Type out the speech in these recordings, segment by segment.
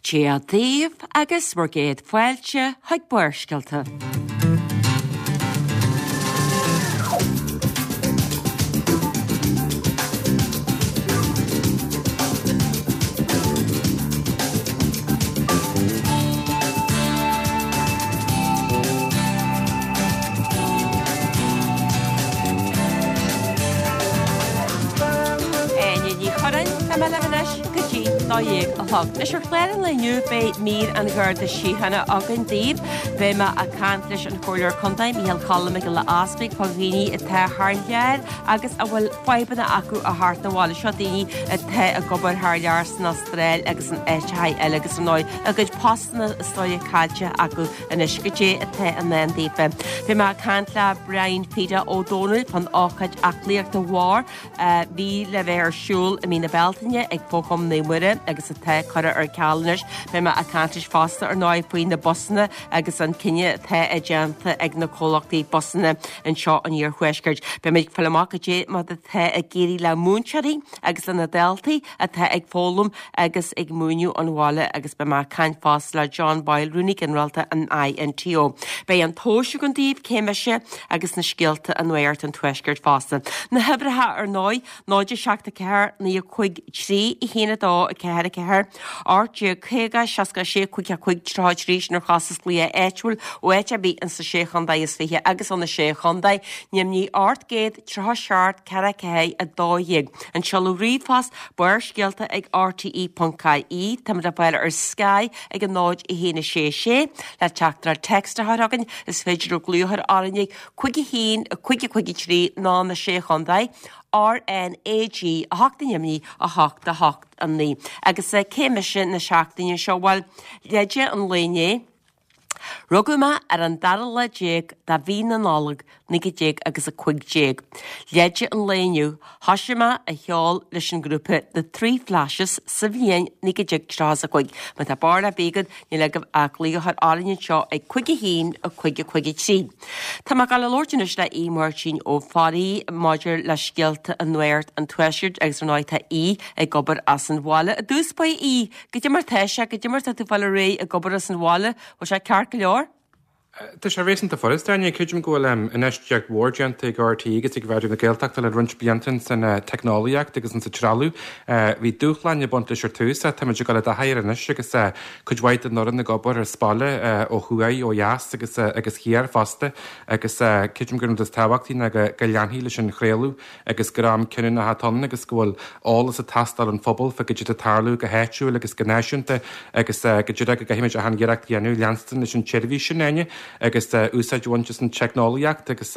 Dia daoibh agus bhur gcéad fáilte chuig Barrscéalta. Áine Ní Churráin, tá mé libh anois go dtí 12 a chlog. Anois ar chlár an lae inniu beidh mír an Gharda Síochána againn daoibh. Beidh mé ag caint leis an Chomhairleoir Contae, Micheál Choilm Mac Giolla Easpaig, fá dhaoine atá thar lear agus a bhfuil fadhbanna acu a theacht abhaile. Seo daoine atá ag obair thar lear san Astráil agus in áiteacha eile agus ar ndóigh a gcuid postanna is dóigh caillte acu anois. Goidé atá i ndán daofa. Beidh mé ag caint le Brian Pheda Ó Dónaill fán ócáid aclaíochta mhór a bhí le bheith ar siúl i mí na Bealtaine ag Fo-Chumann Naomh Muire agus atá curtha ar ceal anois. Beidh mé ag caint leis fosta ar ndóigh faoi na busanna agus an cinneadh atá déanta ag na comhlachtaí busanna anseo in Iarthuaisceart. Beidh mé ag fáil amach goidé mar atá ag éirí le múinteoirí agus le na daltaí atá ag foghlaim agus ag múineadh ón bhaile agus beidh mé ag caint fosta le John Boyle, Rúnaí Ginearálta an INTO. Beidh an tomhas againn daoibh, cé mise agus na scéalta i Nuacht an Tuaiscirt fosta. Na huimhreacha ar ndóigh, 0 7 4 9 5 3 1 2 4 4 18 50 66 5 5 33 sin ar chostas glaoch áitiúil ó áit ar bith ins na Sé Chontae is Fiche agus ó na Sé Chontae, Ainmnigh 800 37 4 4 12. An seoladh ríomhphost, Barrscéalta ag rte.ie. Táimid le fáil ar Sky ag a 0 1 6 6. Le teachtaireacht text a chur chugainn, is féidir libh glaoch a chur orainn ag 5 1 5 5 3 nó na Sé Chontae, RNAG 8 i nDoimní 8 8 9. Agus cé mise na seachtaine seo? Bhuel, leide an lae inné. Rugadh mé ar an dara lá déag de mhí na Nollag, 19 agus 15. Leide an lae inniu, thoisigh mé a cheol leis an ngrúpa The Three Flashes sa bhliain 1935. Má tá barúil ar bith agat, níl agaibh ach glaoch a chur orainn anseo ag 5 1 5 5 3. Tá mé ag dul a labhairt anois le Aodh Máirtín Ó Fearraigh maidir le scéalta i Nuacht an Tuaiscirt agus ar ndóigh tá Aodh ag obair as an bhaile. I dtús báire a Aoidh, Goidé mar tá sé, goidé mar tá tú fáil ar aghaidh ag obair as an bhaile, bhfuil sé ceart go leor? Tá sé réasúnta furasta, Áine. Creidim go bhfuil infheistíocht mhór déanta ag RTÉ agus ag Raidió na Gaeltachta le roinnt blianta ins an teicneolaíocht agus ins an trealamh. Bhí dúshláin ag baint leis ar tús ach táimid ag dul i dtaithí air anois agus cuid mhaith den fhoireann ag obair as baile ó thuaidh, ó dheas agus agus thiar fosta agus creidim gur an rud is tábhachtaí ná go leanfaí leis an chraoladh agus gur am cinniúnach atá ann agus go bhfuil eolas ag teastáil ón phobal fá goidé atá ag tarlú go háitiúil agus go náisiúnta agus go díreach go gcaithfimid achan iarracht a dhéanamh leanstan leis an tseirbhís sin, Áine, agus úsáid a bhaint as an teicneolaíocht agus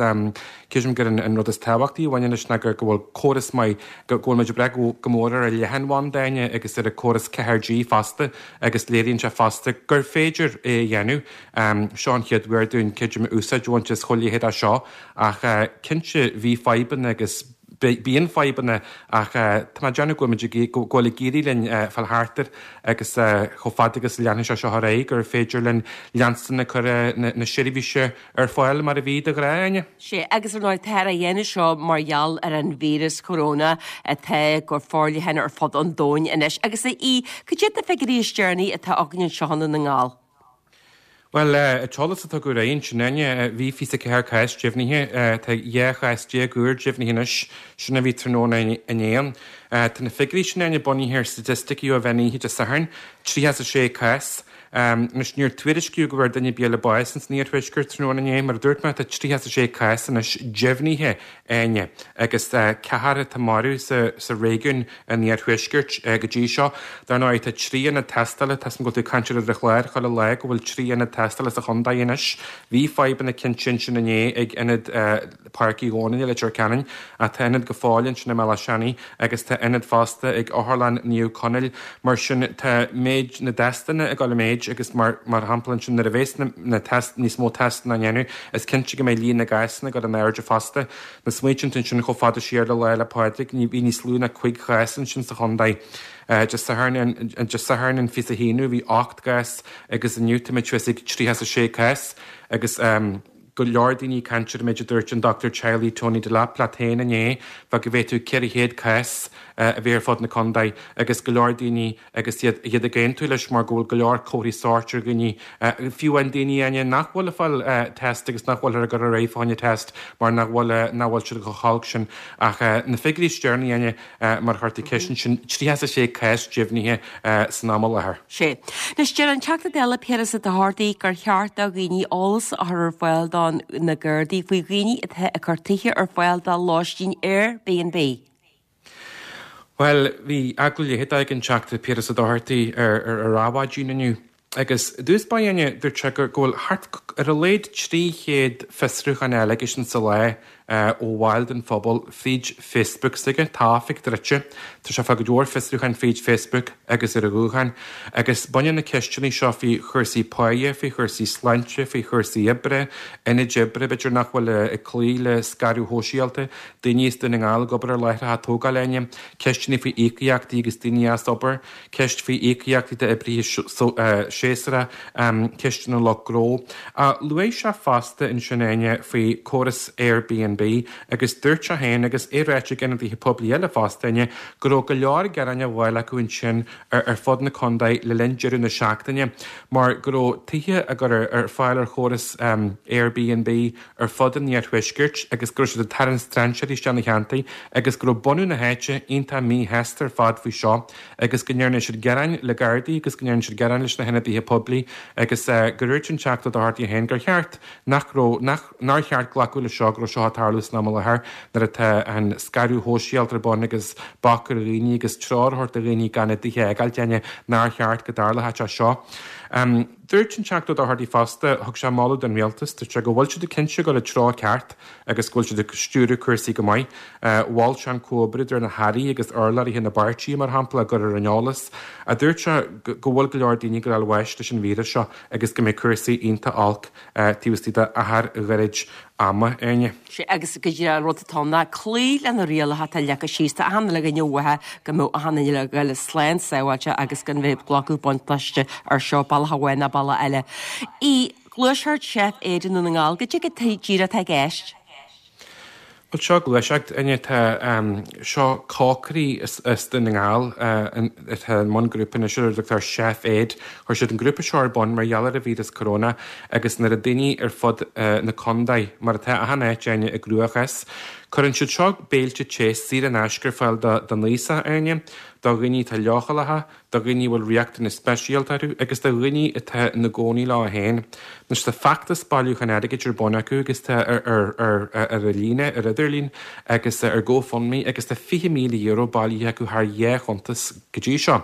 creidim gur an rud is tábhachtaí a bhaineann leis ná go bhfuil córas maith, go bhfuil muid ag brath go mór ar an leathanbhanda, Áine, agus ar an córas 4G fosta agus léiríonn sé fosta gur féidir é a dhéanamh. Seo an chéad uair dúinn, creidim, úsáid a bhaint as chuile leithéid de seo. Ach cinnte bhí fadhbanna agus bíonn fadhbanna ach tá mé ag déanamh go bhfuil muid ag, go bhfuil ag éirí linn fáil thart air agus chomh fada agus a leanfaidh sé seo ar aghaidh gur féidir linn leanstan ag cur na seirbhíse ar fáil mar a bhí de ghnáth, Áine. Sea, agus ar ndóigh táthar á dhéanamh seo mar gheall ar an víreas corona atá go forleathan ar fud an domhain anois. Agus a Aoidh, cad iad na figiúirí is deireanaí atá againn anseo i nDún na nGall? Bhuel, an t-eolas a tugadh ar aghaidh ansin, Áine, bhí 24 cás deimhnithe, tá 12 chás úr deimhnithe anois, sin a bhí tráthnóna inné. Tá na figiúirí sin, Áine, bunaithe ar staitisticí ó mheán oíche Dé Sathairn, 36 cás. Anois, níor tuairiscíodh go bhfuair duine ar bith eile bás ins an iarthuaisceart tráthnóna inné. Mar a dúirt mé, tá 36 cás anois deimhnithe. Áine, agus ceathrar atá marbh sa réigiún an iarthuaiscirt go dtí seo. Dar ndóigh, tá 3 ionad tástála, tá 'fhios a'm go bhfuil tú ag caint air ar an chlár chuile lá, go bhfuil 3 ionad tástála sa chontae anois. Bhí fadhbanna cinnte ansin inné ag ionad Páirc Uí Dhónaill i Leitir Ceanainn, ach tá ionad go fóill ansin i mBealach Seanaidh agus tá ionad fosta ag Otharlann Naomh Conaill. Mar sin, tá méid na dtestanna ag dul i méid agus mar shampla ansin nuair a bheas na test, níos mó testanna á ndéanamh, is cinnte go mbeidh líon na gcásanna ag dul in airde fosta. Má smaoitíonn tú ansin chomh fada siar le Lá 'le Pádraig, ní, bhí níos lú ná 5 chás ansin sa chontae. Dé Sathairn, Dé Sathairn an 21ú bhí 8 gcás agus inniu táimid suas ag 36 cás agus. Go leor daoine ag caint ar an méid a dúirt an dochtúir teaghlaigh Tony Delap leat féin inné, fá go bhféadfadh 400 cás a bheith ar fud na contae agus go leor daoine agus iad iad ag aontú leis mar go bhfuil go leor comharthaí sóirt ar dhaoine, fiú amháin daoine Áine nach bhfuil ag fáil test agus nach bhfuilthear ag cur ar aghaidh fá choinne test mar nach bhfuil nach bhfuil siad chomh holc sin. Ach na figiúirí is deireanaí Áine, Mar a chuir tú ceist ansin, 36 cás deimhnithe san am i láthair. Sea. Anois, deir an Teachta Dála Piaras Ó Dochartaigh gur cheart do dhaoine eolas a chur ar fáil do na Gardaí faoi dhaoine atá ag cur tithe ar fáil do lóistín Airbnb. Bhuel, bhí agallamh leitheadach ag an Teachta Piaras Ó Dochartaigh ar ar Adhmhaidin inniu agus i dtús báire Áine, dúirt sé go bhfuil thart ar a laghad 300 fiosrúchán eile aige sin sa lá ó bhaill den phobal fríd Facebook s'aige. Tá a oifig druidte. Tá sé ag fáil go leor fiosrúcháin fríd Facebook agus ar a ghuthán. Agus baineann na ceisteanna seo faoi chúrsaí páighe, faoi chúrsaí sláinte, faoi chúrsaí oibre, ionaid oibre b'fhéidir nach bhfuil ag cloí le scaradh shóisialta, daoine as Dún na nGall ag obair ar láithreacha tógála Áine, ceisteanna faoi íocaíochtaí agus daoine as obair. ceist faoi íocaíochtaí d'oibrithe séasúracha, ceisteanna lucht gnó. Luaigh sé fosta ansin, Áine, faoi chóras Airbnb agus dúirt sé féin, agus é ráite ag ionadaithe poiblí eile fosta, Áine, go raibh go leor gearáin á bhfáil acu ansin ar fud na contae le linn deireadh na seachtaine mar go raibh tithe á gcur ar fáil ar chóras Airbnb ar fud an iarthuaiscirt agus go raibh siad ag tarraingt strainséirí isteach na ceantair agus go raibh bunadh na háite iontach míshásta ar fad faoi seo agus go ndearna siad gearáin le Gardaí agus go ndearna siad gearáin leis na hionadaithe poiblí agus gur dhúirt an Teachta Ó Dochartaigh féin gur cheart nach raibh nach nár cheart glacadh leis seo go raibh seo ag tarlú san am i láthair nuair atá an scaradh shóisialta ar bun agus bac ar dhaoine agus treoir a thabhairt do dhaoine gan a dtithe a fhágáil Áine nár cheart go dtarlódh sé seo. Dúirt an Teachta Ó Dochartaigh fosta, thug sé moladh don Rialtas, dúirt sé go bhfuil siad ag cinnte ag dul an treo ceart agus go bhfuil siad ag stiúradh cúrsaí go maith. Mhol sé an comhoibriú idir na hairí agus urlabhraithe na bpáirtithe, mar shampla, á gcur ar an eolas. Dúirt sé go bhfuil go leor daoine ag dul a fháil bháis leis an víreas seo agus go mbeidh cúrsaí iontach olc taobh istigh d'achar ghairid ama, Áine. Sea, agus go díreach an rud atá ann ná cloí le na rialacha atá leagtha síos. Tá achan uile dhuine uathu go mbeadh achan duine le ghoil slán sábháilte agus gan bheith ag glacadh buntáiste ar seo bealach amháin ná bealach eile. I ngluaiseacht Chef Aid i nDún na nGall, goidé go díreach atá i gceist? Bhuel, seo gluaiseacht, Áine, tá seo cócairí as Dún na nGall atá i mbun grúpa anois ar a dtugtar Chef Aid. Chuir siad an grúpa seo ar bun mar gheall ar an víreas corona agus nuair a daoine ar fud na contae, mar atá achan áit, Áine, i gcruachás. Cuireann siad seo béilte te saor in aisce ar fáil don aosach, Áine, do dhaoine atá leochaileacha, do dhaoine a bhfuil riachtanais speisialta orthu agus do dhaoine atá ina gcónaí leo féin. Anois tá feachtas bailiúcháin airgid ar bun acu agus tá ar ar ar ar ar líne, ar idirlíon agus ar GoFundMe agus tá €20,000 bailithe acu thar dhá chuntas go dtí seo.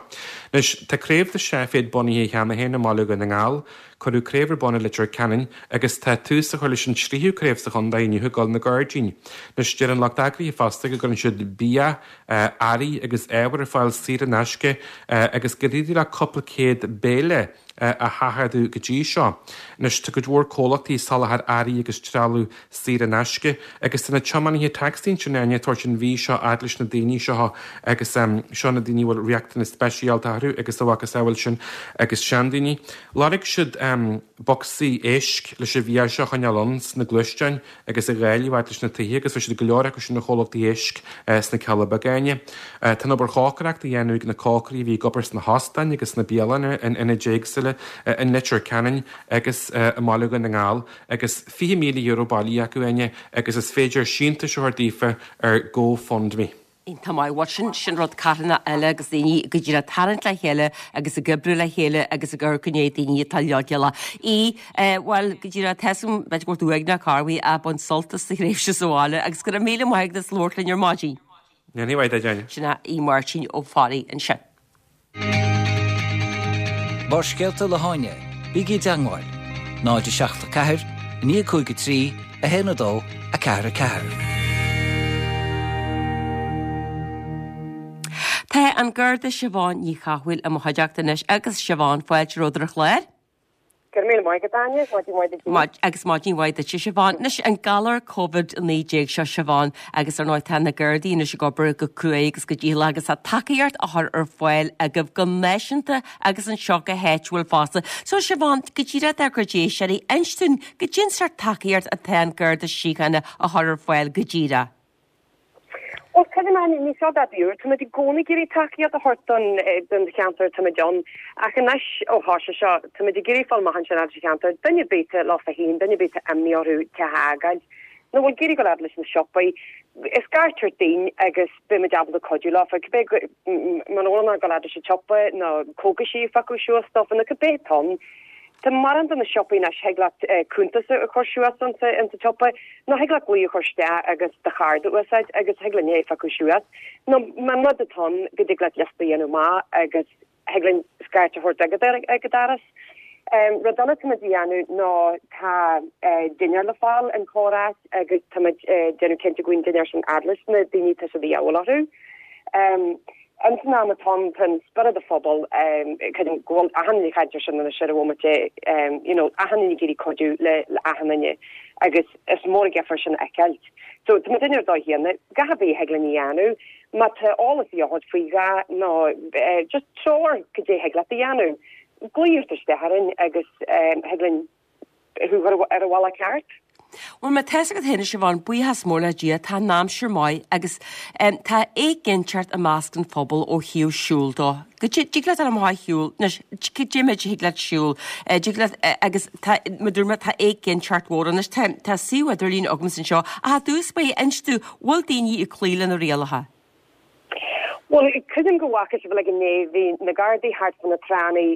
Anois tá craobh de Chef Aid bunaithe cheana féin i mBaile Dhún na nGall, cuireadh craobh ar bun i Leitir Ceanainn agus tá tús á chur leis an tríú craobh sa chontae inniu i gCoill na Gairdín. Anois deir an lucht eagraithe fosta go gcuireann siad bia, earraí agus ábhair ar fáil saor in aisce agus gur éirigh leo cúpla céad béile a sheachadadh go dtí seo. Anois tá cuid mhór comhlachtaí ag soláthar earraí agus trealamh saor in aisce agus tá na tiománaithe tacsaí ansin Áine ag tabhairt an bhia seo fhad leis na daoine seo agus seo na daoine a bhfuil riachtanais speisialta orthu agus a mhacasamhail sin agus seandaoine. Lorg siad bocsaí éisc leis an bhia seo a choinneáil ann sna gluaisteáin agus a dháileadh fhad leis na tithe agus fuair siad go leor acu sin ó chomhlachtaí éisc sna Cealla Beaga, Áine. Tá an obair chócaireachta á dhéanamh ag na cócairí a bhí ag obair sna hóstáin agus sna bialanna in ionaid éagsúla in Leitir Ceanainn agus i mBaile Dhún na nGall agus €20,000 bailithe acu, Áine, agus is féidir síntiúis a thabhairt daofa ar GoFundMe. Iontach maith. Bhuel, sin, sin rud carthanach eile agus daoine go díreach ag tarraingt le chéile agus ag oibriú le chéile agus ag amharc i ndiaidh daoine atá leochaileach. Í, eh, bhuel, go díreach, tá 'fhios agam, b'fhéidir go bhfuil tú uaigneach corruair ach bain sult as do thréimhse sa bhaile agus go raibh míle maith agat as labhairt linn ar maidin. Ní mhaith duit, Áine. Sin é Aodh Máirtín Ó Fearraigh ansin. Barrscéalta le hÁine, bígí i dteangmháil, 0 7 4 9 5 3 1 2 4 4. Tá an Garda Siobhán Ní Chathmhaoil i mo chuideachta anois agus Siobhán, fáilte romhat ar an chlár. Go raibh míle maith agat, Áine. Maidin mhaith duit. Maid, agus maidin mhaith duit, a Siobhán. Anois, an galar Covid-19 seo, Siobhán, agus ar ndóigh tá na Gardaí anois ag obair go cruaidh agus go dícheallach agus tá tacaíocht á chur ar fáil agaibh go náisiúnta agus anseo go háitiúil fosta. So, Siobhán, go díreach dár gcuid éisteoirí, inis dúinn goidé an sórt tacaíocht atá an Garda Síochána a chur ar fáil go díreach. Bhuel, creidim, Áine, ní seo dá b'fhíor. Táimid i gcónaí ag iarraidh tacaíocht a thabhairt don don cheantar atáimid ann. Ach anois, ó thoisigh seo, táimid ag iarraidh fáil amach ansin fhad sa cheantar, duine ar bith atá leofa féin, duine ar bith atá imní orthu teach a fhágáil, nó bhfuil ag iarraidh dul fhad leis na siopaí, scairt ort dúinn agus beimid ábalta cuidiú leofa, cibé muna bhfuil in ann dul fhad leis an tsiopa nó cógaisí a phiocadh suas dófa nó cibé atá ann. Tá mórán de na siopaí anois, thig leat cuntas a chur suas insa tsiopa, nó thig leat glao a chur isteach agus do chárta a úsáid agus thig linn é a phiocadh suas. Nó más rud atá ann go dtig leat liosta a dhéanamh amach agus thig linn scairt a thabhairt agat ag an doras. Rud eile táimid a dhéanamh ná tá dinnéar le fáil in corr-áit agus táimid ag déanamh cinnte go bhfuil an dinnéar sin fhad leis na daoine atá sé de dhíobháil orthu. Ins an am atá ann, tá an spiorad an phobail, creidim go bhfuil achan duine ag caint ar sin anois ar an bhomaite, you know, achan duine ag iarraidh cuidiú le achan duine agus is mór an difear sin a fheiceáilt. So tá muid ar dóigh chéanna, gach ar bith a thig linn a dhéanamh, má tá eolas a dhíth ort faoi a dhath nó just treoir cad é thig leat a dhéanamh, glaoigh ort isteach orainn agus thig linn thú a chur ar an bhealach ceart. Bhuel, má tá's agat féin, a Siobhán, buíochas mór le Dia, tá an aimsir maith agus tá éiginnteacht i measc an phobail ó thaobh siúl dó. Go dtig leat dul amach ar shiúl, anois, cad é méid a thig leat siúl, dtig leat, agus tá, mar dúirt mé, tá éiginnteacht mhór anois, tá, tá suíomh idirlín agamsa anseo, ach i dtús báire, inis dúinn, bhfuil daoine ag cloí le na rialacha? Bhuel, creidim go bhfaca sibh uilig inné, bhí na Gardaí thart fá na tránna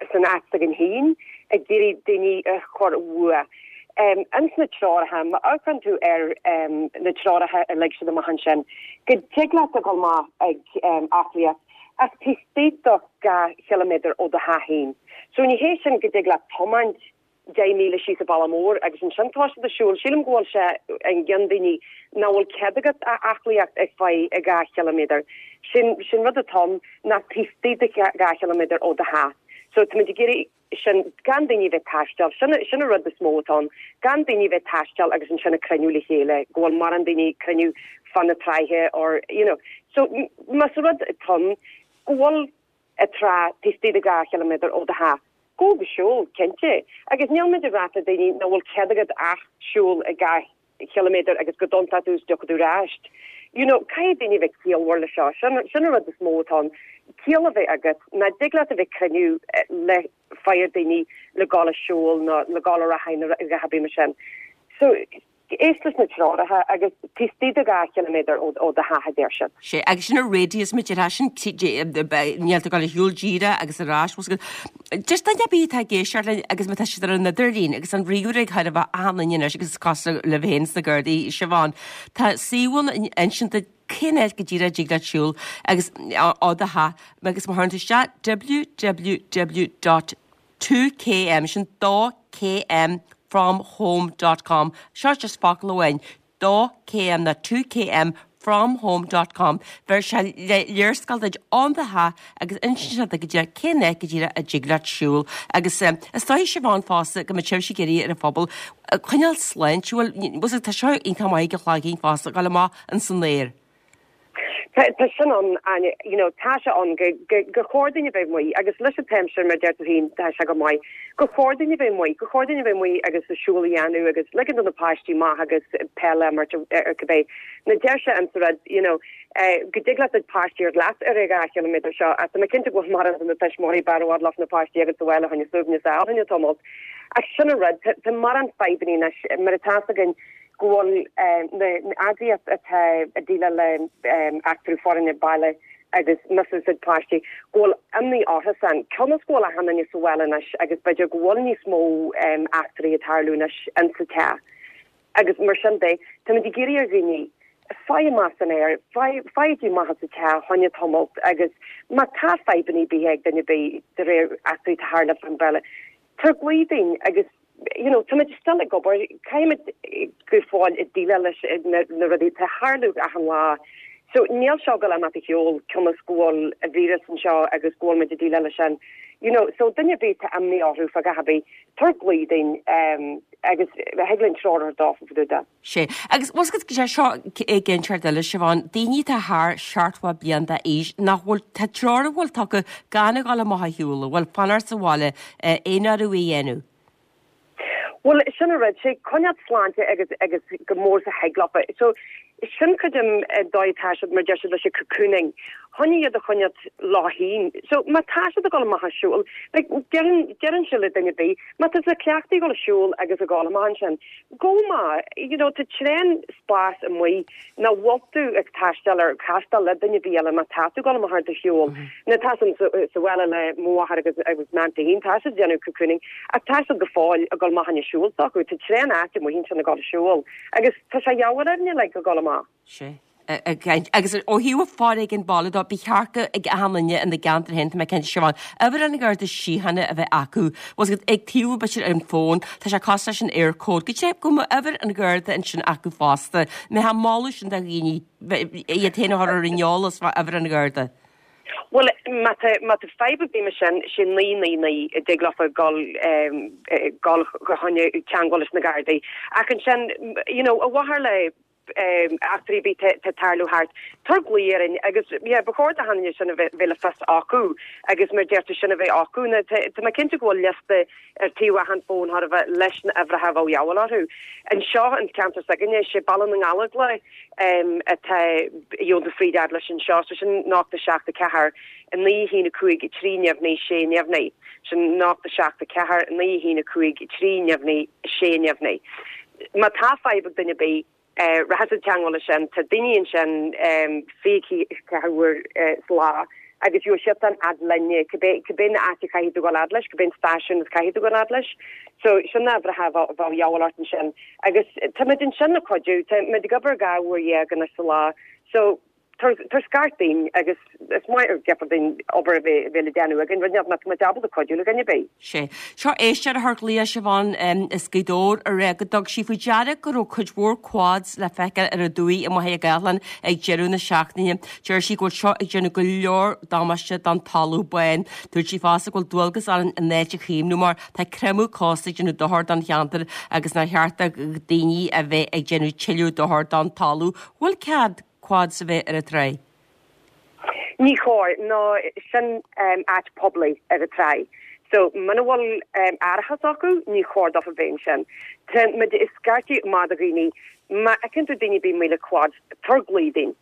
san áit s'againn féin ag iarraidh daoine a chur uaidh. Ins na treoracha, má amharcann tú ar na treoracha a lig siad amach ansin, go dtig leat a dhul amach ag aclaíocht ach taobh istigh de 2 chiliméadar ó do theach féin. So ní hé sin go dtig leat tiomáint 10,000 síos an bealach mór agus ansin toiseacht ag siúl. Sílim go bhfuil sé i gcionn daoine nach bhfuil cead agat aclaíocht ar feadh 2 chiliméadar. Sin sin rud atá ann ná taobh istigh de 2 chiliméadar ó do theach. So táimid ag iarraidh sin gan daoine a bheith ag taisteal. Sin sin an rud is mó atá ann. Gan daoine a bheith ag taisteal agus ansin ag cruinniú le chéile, go bhfuil mórán daoine ag cruinniú fá na tráithe or you know. So más rud atá ann go bhfuil an trá taobh istigh de 2 chiliméadar ó do theach. Gabh ag siúl, cinnte. Agus níl muid ag rá le daoine nach bhfuil cead agat ach siúl 2 chiliméadar agus go dtiontóidh tú is tiocfaidh tú ar ais. You know, caithfidh daoine a bheith ciallmhar le seo. Sin, sin an rud is mó atá ann. Ciall a bheith agat. Nach dtig leat a bheith ag cruinniú le fáir daoine le gabháil ag siúl nó le gabháil ar aghaidh nó a dhath ar bith mar sin. So, Éist leis na treoracha agus taobh istigh de 2 chiliméadar ó do theach a deir siad. Sea, agus sin an radius mar a déarfá sin, níl tú ag dul ar shiúl díreach agus ar ais, bhfuil 's agat. Just duine ar bith atá ag éisteacht linn agus má tá siad ar an idirlíon agus an ríomhaire ag chóir a bheith achan duine anois agus is cosúil libh féin sna Gardaí, Siobhán, tá suíomh ann a insíonn duit cén áit go díreach a dtig leat siúl agus ó do theach agus má chuireann tú isteach www. 2km, sin 2 km from home dot com, seo just focal amháin, 2 km ná 2 km from home dot com, bheir sé léarscáil duit ón do theach agus insíonn sé duit go díreach cén áit go díreach a dtig leat siúl agus is dóigh Siobhán fosta go mbeidh sibhse ag iarraidh ar an phobal coinneáil sláintiúil, tá seo iontach maith ag an chloigeann fosta, dul amach ins an aer. Tá sin ann, Áine, you know, tá sé ann go, go, gur chóir dúinn a bheith amuigh agus leis an t-aimsir, mar a deir tú féin, tá sé go maith, gur chóir dúinn a bheith amuigh, gur chóir dúinn a bheith amuigh agus a siúl a dhéanamh agus ligean do na páistí amach agus peil a imirt ar cibé. Now deir sé insa rud, you know, go dtig leat do pháistí a thabhairt leat ar an 2 chiliméadar seo ach tá mé cinnte go bhfuil mórán de na tuismitheoirí b'fhearr i bhfad leofa na páistí agus sa bhaile fá choinne suaimhneas a fháil fá choinne tamalt. Ach sin an rud, tá mórán fadhbanna anois mar atá 's againn, go bhfuil na eagraíocht atá ag déileáil le eachtrú foréigin baile agus mí-úsáid páistí, go bhfuil imní orthusan, cionn is go bhfuil achan duine sa bhaile anois agus b'fhéidir go bhfuil níos mó eachtraí ag tarlú anois insa teach agus mar sin de, táimid ag iarraidh ar dhaoine fail amach san aer, faighigí amach as an teach fá choinne tamalt agus má tá fadhbanna ar bith ag duine ar bith de réir eachtraí atá tharla fán bhaile, tabhair glao dúinn agus you know, táimid still ag obair, caithfimid go fóill ag déileáil leis na rudaí atá ag tarlú achan lá. So níl seo ag dul amach a sheol cionn is go bhfuil an víreas anseo agus go bhfuil muid ag déileáil leis sin. You know, so duine ar bith atá imní orthu fá dhath ar bith, tabhair glao dúinn agus thig linn treoir a thabhairt dófa fá dtaobh de. Sea. Agus bhfuil 's agat, sé seo ag ceann eile, Siobhán, daoine atá thar 70 bliain d'aois nach bhfuil, tá treoir a bhfuil tugtha gan a dhul amach a shiúl, a bhfuil fanacht sa bhaile, aon orthu a dhéanamh. Bhuel, sin an rud, sé coinneáil sláinte agus agus go mór is a thig leofa. So, sin cuid den dóigh atá siad, mar deir siad leis an cocooning, chun iad a choinneáil leo féin. So, má tá siad ag dul amach ag siúl, like, deireann, deireann sé le duine ar bith, má tá tú cleachtaithe ag dul ag siúl agus ag dul amach ansin, gabh amach, you know, tá tréan spás amuigh nach bhfuil tú ag taisteal ar castáil le duine ar bith eile má tá tú ag dul amach ar do shiúl. Now tá san sa bhaile le mo mháthair agus agus m'auntie féin, tá siad ag déanamh cocooning ach tá siad go fóill ag dul amach chun siúl s'acu, tá tréan áit amuigh ansin ag dul ag siúl agus tá sé dheabhail orainne like ag dul amach. Sea. Agus ó thaobh foréigean baile dó, ba cheart go ag achan duine ina gceantar féin, tá mé cinnte, Siobhán, uimhir an Gharda Síochána a bheith acu. Bhfuil 's agat, ag taobh b'fhéidir ar an bhfón, tá sé cosúil leis an Eircode, go dté go mbeadh uimhir an Gharda ansin acu fosta. Mbeifeá ag moladh sin do dhaoine, iad féin a chur ar an eolas fá uimhir an Gharda. Bhuel, má tá, má tá fadhb ar bith mar sin, sé 999 a dtig leofa dul, dul chun teagmháil leis na Gardaí. Ach ansin, you know, a mháthair le eachtraí ar bith atá ag tarlú thart, tabhair glao orainn agus yeah ba chóir d'achan duine sin a bheith le fios acu agus mar deir tú sin a bheith acu. Now tá tá mé cinnte go bhfuil liosta ar taobh achan fón chóir a bheith leis na uimhreacha a bheadh dheabhail orthu. Anseo an ceantar s'againne sé Baile na nGallóglach atá gheobhann tú fríd fhad leis anseo so sin 0 7 4 9 1 5 3 neamhní 6 neamhní. Sin 0 7 4 9 1 5 3 neamhní 6 neamhní. Má tá fadhb ag duine ar bith, rachaidh siad i dteangmháil leis sin. Tá daoine ansin 24 uair sa lá agus gheobhaidh siadsan fhad linne, cibé cibé na áit a chaithfidh tú dul fhad leis, cibé an stáisiún is caithfidh tú dul fhad leis. So sin na uimhreacha a bheadh dheabhail ort ansin. Agus táimid ansin le cuidiú, táimid ag obair 12 uair anois sa lá. So Tabhair scairt dúinn agus is maith ar geofar dúinn obair a bheith le déanamh againn, rud nach mbeadh muid ábalta cuidiú le dhuine ar bith. Sé. Seo éisteoir a chuir glaoch, Siobhán, as Gaoth Dobhair a rá go dtug sí faoi deara go raibh cuid mhór quads le feiceáil ar an dumhaigh i Machaire Gathlán ag deireadh na seachtaine. Deir sí go bhfuil seo ag déanamh go leor damáiste don talamh bán. Dúirt sí fosta go bhfuil dualgas orainn an áit a chaomhnú mar tá creimeadh cósta ag déanamh dochar don cheantar agus nár cheart do dhaoine a bheith ag déanamh tuilleadh dochar don talamh. Bhfuil cead quads a bheith ar an tráigh? Ní chóir, nó sin áit poiblí ar an tráigh. So, muna bhfuil árachas acu, ní chóir dófa bheith ansin. Tá muid ag scairteadh amach do dhaoine, má fheiceann tú daoine ar bith amuigh le quads, tabhair glao dúinn.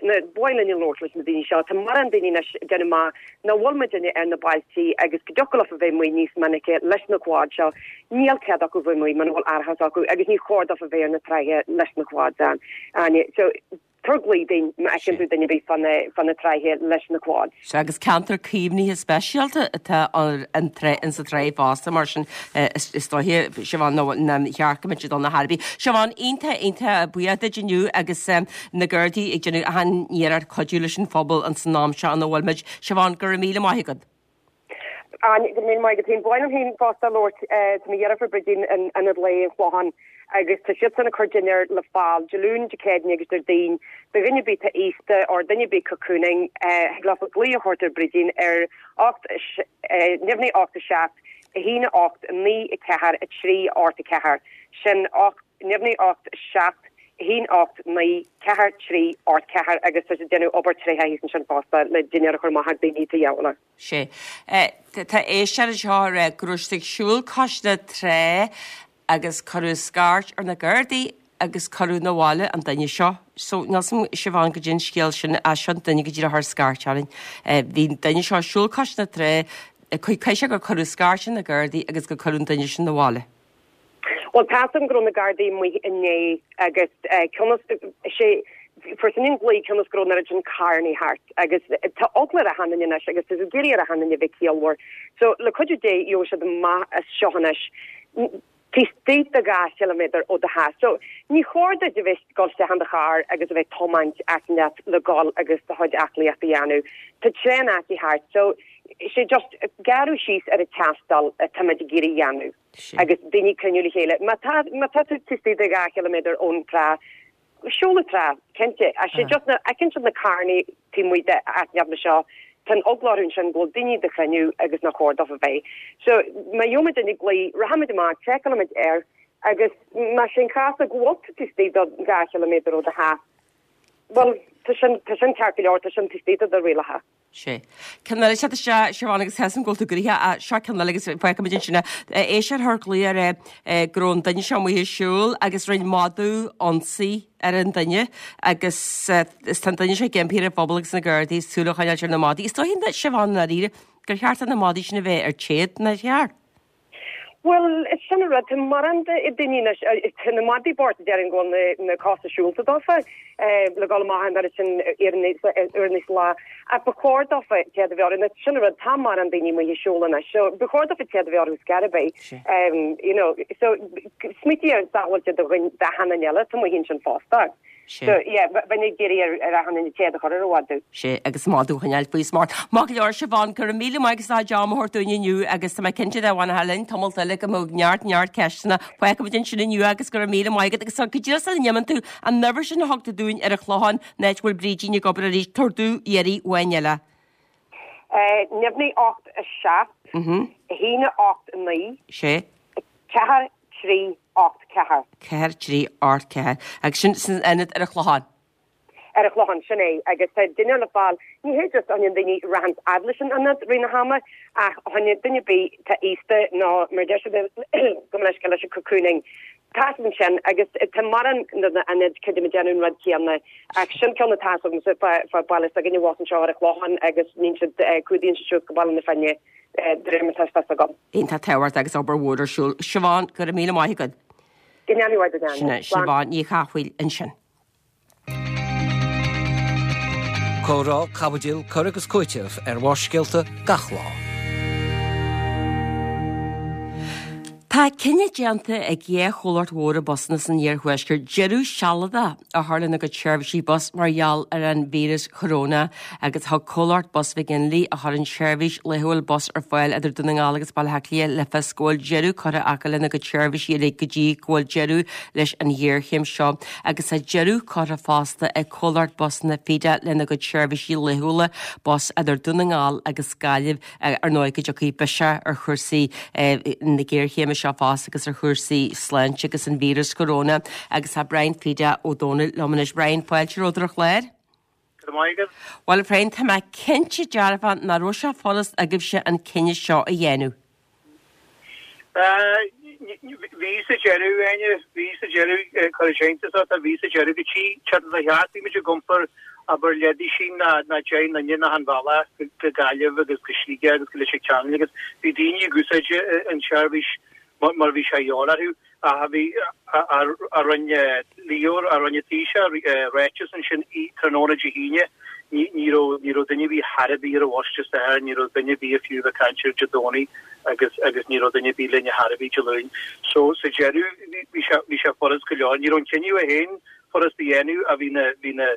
Nó ba mhaith linn labhairt leis na daoine seo. Tá mórán daoine anois ag déanamh amach nach bhfuil muidinne ar na bailtí agus go dtiocfadh leofa bheith amuigh níos minice leis na quads seo. Níl cead acu bheith amuigh muna bhfuil árachas acu agus ní chóir dófa bheith ar na tráighe leis na quads Áine. So, tabhair glao dúinn má fheiceann tú duine ar bith fá na tráighe leis na quads. Sea, agus ceantar caomhnaithe speisialta atá an trá, insa tráigh fosta, mar sin is dóiche, Siobhán, nár cheart go mbeadh siad ann ar chor ar bith. Siobhán, iontach, iontach buíoch duit inniu agus na Gardaí ag déanamh achan iarracht cuidiú leis an phobal ins an am seo ina bhfuil muid. Siobhán, go raibh míle maith agat. Áine, go raibh míle maith agat féin. Ba mhaith liom féin fosta labhairt, tá mo dheirfiúr Bridín in Ionad Lae an Chlocháin agus tá siadsan ag cur dinnéar le fáil Dé Luain, Dé Céadaoin agus Déardaoin do dhuine ar bith atá aosta or duine ar bith cocooning, thig leofa glaoch a thabhairt ar Bridín ar 8 neamhní 8 7 1 8 9 4 3 8 4 sin 8 neamhní 8 7 1 8 9 4 3 8 4 agus tá siad ag déanamh obair tréitheach thíos ansin fosta le dinnéar a chur amach ag daoine atá dheabhail. Sea. Tá éisteoir anseo ag rá go raibh siad ag siúl cois na trá agus cuireadh scairt ar na Gardaí agus cuireadh 'na bhaile an duine seo. So, níl 's a'm Siobhán goidé an scéal sin ach seo an duine go díreach a chuir scairt orainn. Bhí an duine seo ag siúl cois na trá, caithfidh sé gur cuireadh scairt ar na Gardaí agus gur cuireadh an duine sin 'na bhaile. Bhuel, tá 's a'm go raibh na Gardaí amuigh inné agus cionn is sé fuair sin an glao cionn is go raibh an oiread sin carrannaí thart agus tá eagla ar achan duine anois agus tá siad ag iarraidh ar achan duine bheith ciallmhar. So, le cuidiú Dé, gheobhaidh siad amach as seo anois taobh istigh de 2 chiliméadar ó do theach. So, ní chóir duit a bheith ag dul isteach in do charr agus a bheith ag tiomáint áit inteacht le dhul agus do chuid aclaíochta a dhéanamh. Tá tréan áite thart. So, sé just gearradh síos ar an taisteal atáimid ag iarraidh a dhéanamh. Agus daoine cruinniú le chéile. Má tá má tá tú taobh istigh de 2 chiliméadar ón trá, siúl an trá, cinnte. Ach sé just na, fheiceann siad na carrannaí taobh amuigh de áit inteacht mar seo. Tá an eagla orthu ansin go bhfuil daoine ag cruinniú agus nach chóir dófa bheith. So má gheobhaimid duine ag glaoch, rachaimid amach, seiceálfaimid air agus más é an cás go bhfuil tú taobh istigh de 2 chiliméadar ó do theach, bhuel, tá sin, tá sin ceart go leor, tá sin taobh istigh de do rialacha. Sea. Ceann eile teacht isteach, Siobhán, agus tá a fhios agam go bhfuil tú gnoitheach, ach seo ceann eile agus fágfaimid ansin é. Éisteoir a chuir glaoch ar é go raibh an duine seo amuigh ag siúl agus rinne madadh ionsaí ar an duine agus is tá an duine seo ag impí ar an phobal agus na Gardaí súil a choinneáilt ar na madaí. Is dóigh, Siobhán, i ndáiríre, gur cheart do na madaí sin a bheith ar téad, nár cheart? Bhuel, is sin an rud, tá mórán de daoine anois, tá na madaí bocht déarfainn go bhfuil na cosa siúlta dófa le dhul amach an oiread sin uaireanna sa lá, ach ba chóir dófa téad a bheith orthu, sin an rud, tá mórán daoine amuigh ag siúl anois, so ba chóir dófa téad a bheith orthu scor ar bith, you know, so smaoitigh ar sábháilte do dhuine, d'achan duine eile atá amuigh ansin fosta. So, yeah, bheinn ag iarraidh ar achan duine téad a chur ar a mhadadh. Sea, agus madadh a choinneáil faoi smacht. Maith go leor, Siobhán, go raibh míle maith agat as am a thabhairt dúinn inniu agus tá mé cinnte dá bhfanfá linn tamalt eile go mbeadh neart, neart ceisteanna. Fágfaimid ansin inniu agus go raibh míle maith agat. Agus go díreach sula n-imíonn tú, an uimhir sin a thug tú dúinn ar an Chlochán, an áit a bhfuil Brídín ag obair arís, tabhair domh iarraidh amháin eile. Neamhní 8, 7, 1, 8, 9, 6. 4, 3, 8, 4. 4, 3, 8, 4. Agus sin san ionad ar an Chlochán. Ar an Chlochán, sin é. Agus tá duine le fáil, ní hé just fá choinne daoine a rachas fhad leis an ionad rith na hama, ach fá choinne duine ar bith atá aosta nó mar deir siad gabh mo leithscéal leis an cocooning. Tá siad ansin agus tá mórán de na hionaid creidim ag déanamh an rud céanna ach sin ceann atá agamsa fá baile s'againne abhus anseo ar an Chlochán agus níonn siad, cumhdaíonn siad suas go Baile na Finne. De réir mar atá fhios agam. Iontach tábhachtach agus obair mhór ar siúl. Siobhán, go raibh míle maith agat. Go ndéana Dia duit, Sin é, Siobhán Ní Chathmhaoil ansin. Comhrá, caibidil, cur agus cúiteamh ar Bharrscéalta gach lá. Tá cinneadh déanta ag dhá chomhlacht mhóra busanna san iarthuaisceart deireadh sealadach a chur lena gcuid seirbhísí bus mar gheall ar an víreas choróna agus thug comhlacht Bus McGinley, a chuireann seirbhís laethúil bus ar fáil idir Dún na nGall agus Baile Átha Cliath, le fios go bhfuil deireadh curtha acu lena gcuid seirbhísí uilig go dtí go bhfuil deireadh leis an ghéarchéim seo agus tá deireadh curtha fosta ag comhlacht busanna Feda lena gcuid seirbhísí laethúla bus idir Dún na nGall agus Gaillimh. Ar ndóigh go dtiocfaidh biseach ar chúrsaí na géarchéime seo fosta agus ar chúrsaí sláinte agus an víreas coróna agus tá Brian Feda Ó Dónaill liom anois. Brian, fáilte romhat ar an chlár. Go raibh maith agat. Bhuel, a Bhriain, tá mé cinnte dearfa nach raibh sé furast agaibhse an cinneadh seo a dhéanamh. Bhí sa deireadh, Áine, bhí sa deireadh, cuirfidh sé iontas ort, bhí sa deireadh go dtí seachtain a cheart, bhí muid ag iompar abair leathdhuisín ná 10 nduine in achan bhealach go Gaillimh agus go Sligeach agus go Leitir Ceanainn agus bhí daoine ag úsáid an tseirbhís mar bhí sé a dhíobháil orthu. Ach bhí, a rinne Leo, a rinne Taoiseach ráiteas ansin tráthnóna Dé hAoine, ní raibh, ní raibh duine ar bith chor ar bith ar an bhus Dé Sathairn, ní raibh duine ar bith fiú ag caint air Dé Domhnaigh agus, agus ní raibh duine ar bith linn chor ar bith Dé Luain. So sa deireadh bhí sé, bhí sé furast go leor. Ní raibh an cinneadh é féin furast a dhéanamh ach bhí na, bhí na,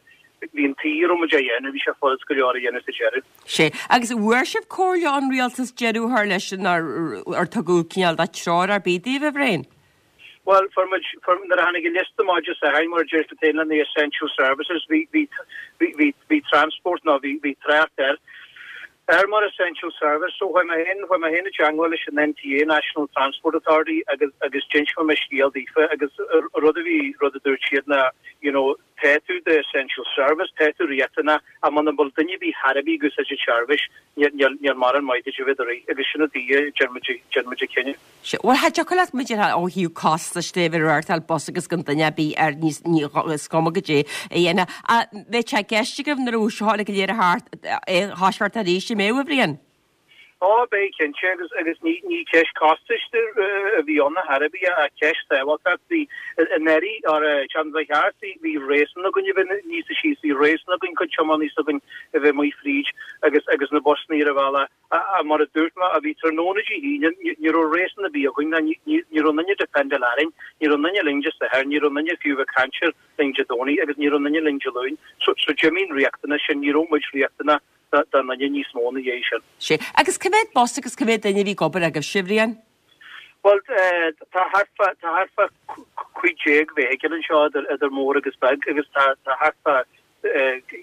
bhí an tuí a raibh muid á dhéanamh, bhí sé furast go leor a dhéanamh sa deireadh. Sea. Agus an bhfuair sibh comhairle ón rialtas deireadh a chur leis nó ar tugadh cineál de treoir ar bith daoibh, a Bhriain? Bhuel, fuair muid, fuair, nuair a tháinig an liosta amach Dé Sathairn, mar a deir tú féin, le na essential services, bhí, bhí, bhí, bhí, bhí transport nó bhí, bhí trácht air, air mar essential service. So chuaigh mé féin, chuaigh mé féin i dteangmháil leis an NTA, National Transport Authority, agus, agus d'inis mé mo scéal daofa agus rud a bhí, rud a dúirt siad ná, you know, Tá tú do essential service, tá tú riachtanach, ach muna bhfuil duine ar bith chor ar bith ag úsáid an tseirbhís, níl mórán maith duit a bheith ag rith, agus sin an tuige a ndearna muid, ndearna muid an cinneadh. Sea, bhuel, cha dtiocfadh leat muid a ó thaobh costais de bheith ag reáchtáil bus agus gan duine ar bith air níos, ní, is cuma goidé a dhéanamh. Ach bheadh sé i gceist agaibh nuair a bheadh seo uilig go léir thart, é a thoiseacht arís, an mbeadh, a Bhriain? Ó, beidh, cinnte, agus agus ní ní ceist costais a bhí ann ar chor ar bith ach ceist sábháilteachta. Bhí anuraidh, or an tseachtain seo thart, bhí bhí réasún againn a bheith níosa síos, bhí réasún againn cuid tiománaí s'againn a bheith amuigh fríd agus agus na busanna ar an bhealach. Ach mar a dúirt mé, a bhí tráthnóna Dé hAoine, ní ní raibh réasún ar bith againn ná ní ní ní raibh aon duine dependáil orainn, ní raibh aon duine linn Dé Sathairn, ní raibh aon duine fiú ag caint air linn Dé Domhnaigh agus ní raibh aon duine linn Dé Luain. So so d'imigh an riachtanas sin, ní raibh muid riachtanach don duine níos mó ina dhiaidh sin. Sea. Agus cá mhéad bus agus cá mhéad duine a bhí ag obair agaibhse, a Bhriain? Bhuel, tá thart fá, tá thart fá 15 vehicle anseo idir, idir mór agus beag agus tá, tá thart fá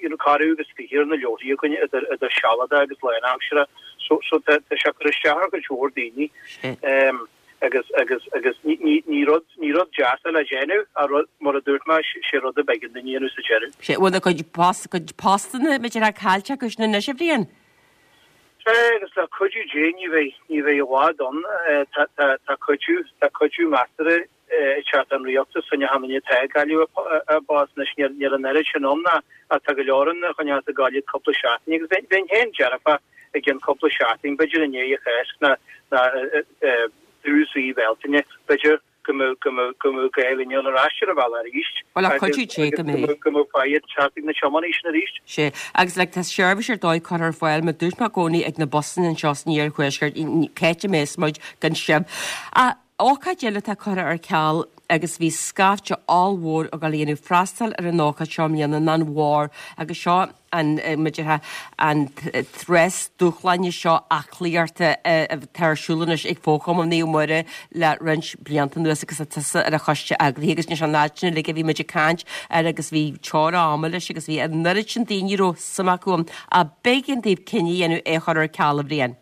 you know, corradh agus 20 ar na leabharthaí againn idir, idir sealadach agus lánaimseartha. So, so tá, tá sé ag cur isteach ar chuid mhór daoine. Em, agus, agus, agus ní, ní, ní rud, ní rud deas é le déanamh, ach rud, mar a dúirt mé, sé rud a b'éigean dúinn a dhéanamh sa deireadh. Sé, bhfuil a gcuid post, cuid postanna, b'fhéidir, caillte acu sin anois, a Bhriain? Sea, agus le cuidiú Dé ní bheidh, ní bheidh i bhfad ann. Tá, tá, tá cuidiú, tá cuidiú measartha ag teacht ón rialtas fá choinne achan duine atá ag cailleadh a bpost anois. Níl, níl an oiread sin ann ach tá go leor ann a choinneos ag gabháil iad cúpla seachtain agus bheinn, bheinn féin dearfach i gcionn cúpla seachtain, b'fhéidir i ndiaidh an Cháisc ná, ná tús mhí Bhealtaine, b'fhéidir go mbeadh, go mbeadh, go mbeadh gá linn dul ar ais ar an bhealach arís Bhuel, le cuidiú Dé go mbeidh. go mbeadh faighid teacht ag na tiománaithe sin arís. Sea, agus like tá seirbhís ar dóigh curtha ar fáil, mar dúirt mé i gcónaí ag na busanna anseo san iarthuaisceart, cá háit a mbeas muid gan sibh. Ach ócáid eile atá curtha ar ceal agus bhí scaifte ollmhór ag dul a dhéanamh freastal ar an ócáid seo i mbliana ná an Bharr agus seo an, mar a déarfá, an rás dúshláine seo aclaíochta atá ar siúl anois ag Fo-Chumann Naomh Muire le roinnt blianta anuas agus tá tusa ar an choiste eagraithe agus anois an fhad sin uilig a bhí muid ag caint air agus bhí teora ama leis agus bhí an oiread sin daoine a raibh suim acu ann ach b'éigean daoibh cinneadh a dhéanamh é a chur ar ceal a Bhriain.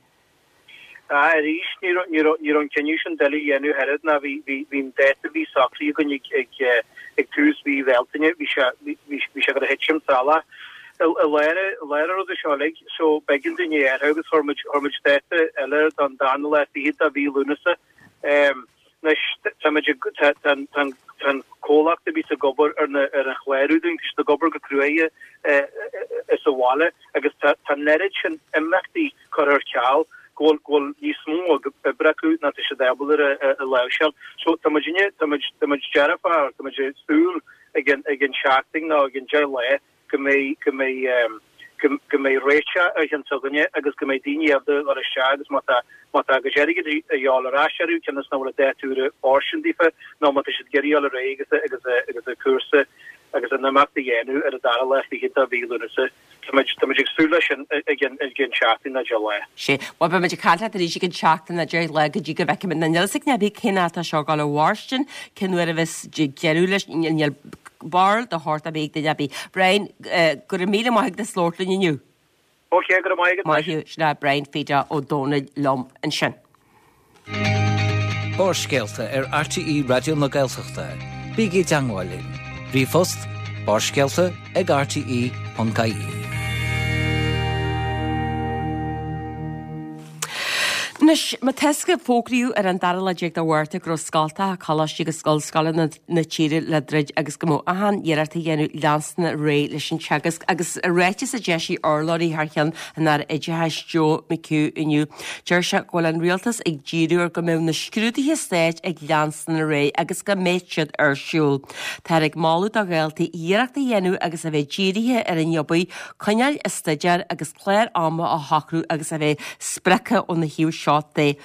Ah, arís, ní raibh, ní raibh, ní raibh an cinneadh sin doiligh a dhéanamh oiread ná bhí, bhí, bhí an dáta a bhí socraithe againn ag, ag, ag tús mhí Bhealtaine, bhí sé, bhí, bhí sé ag dul a thitim salach. I, i lár, i lár an ruda seo uilig, so b'éigean dúinn é a athrú agus chuir muid, chuir muid dáta eile air don darna lá fichead de mhí Lúnasa. Em, anois, tá muid ag, tá, tá an, tá an, tá an comhlacht a bhíos ag obair ar na, ar an chlárú dúinn, tá siad ag obair go cruaidh, eh, eh, sa bhaile agus tá, tá an oiread sin imeachtaí curtha ar ceal, go bhfuil, go bhfuil níos mó oibre acu ná tá siad ábalta a, a láimhseáil. So tá muidinne, tá muid, tá muid dearfach, tá muid ag súil i gcionn, i gcionn seachtain nó i gcionn 10 lá go mbeidh, go mbeidh, ehm, go, go mbeidh réiteach ar cheann s'againne agus go mbeidh daoine ábalta dul isteach agus má tá, má tá a gcuid airgid a dhíobháil ar ais orthu, cionn is nach bhfuil an dáta úr fóirstean daofa nó má tá siad ag iarraidh dul ar aghaidh agus, agus, agus an cúrsa agus an imeacht a dhéanamh ar an dara lá fichead de mhí Lúnasa. Tá muid, tá muid ag súil leis sin i gcionn, i gcionn seachtain nó 10 lá. Sea. Bhuel, beidh muid ag caint leat arís i gcionn seachtain nó 10 lá go dtí go bhfeicfimid. Níl a fhios ag duine ar bith cén fáth atá seo ag dul a mhairstin, cén uair a bheas deireadh leis, níl barúil de shórt ar bith ag duine ar bith. Brian, go raibh míle maith agat as labhairt linn inniu. Ok, go raibh maith agat. Maith thú. Sin é Brian Pheda Ó Domhnaill liom ansin. Barrscéalta ar RTÉ Raidió na Gaeltachta. Bígí i dteangmháil linn. Ríomhphost, barrscéalta ag rte.ie. Anois, mar tá a fhios agaibh, fógraíodh ar an dara lá déag de Mhárta go raibh scoltacha, coláistí agus ollscoileanna na tíre le druid agus go mbeadh achan iarracht á dhéanamh leanstan ar aghaidh leis an teagasc agus i ráiteas a d'eisigh urlabhraí thar cheann an Aire Oideachais Joe McHugh inniu, deir sé go bhfuil an rialtas ag díriú ar go mbeadh na scrúduithe stáit ag leanstan ar aghaidh agus go mbeidh siad ar siúl. Táthar ag moladh do dhaltaí iarracht a dhéanamh agus a bheith dírithe ar an obair, coinneáil ag staidéar agus clár ama a shocrú agus a bheith sprioctha óna thaobh seo de.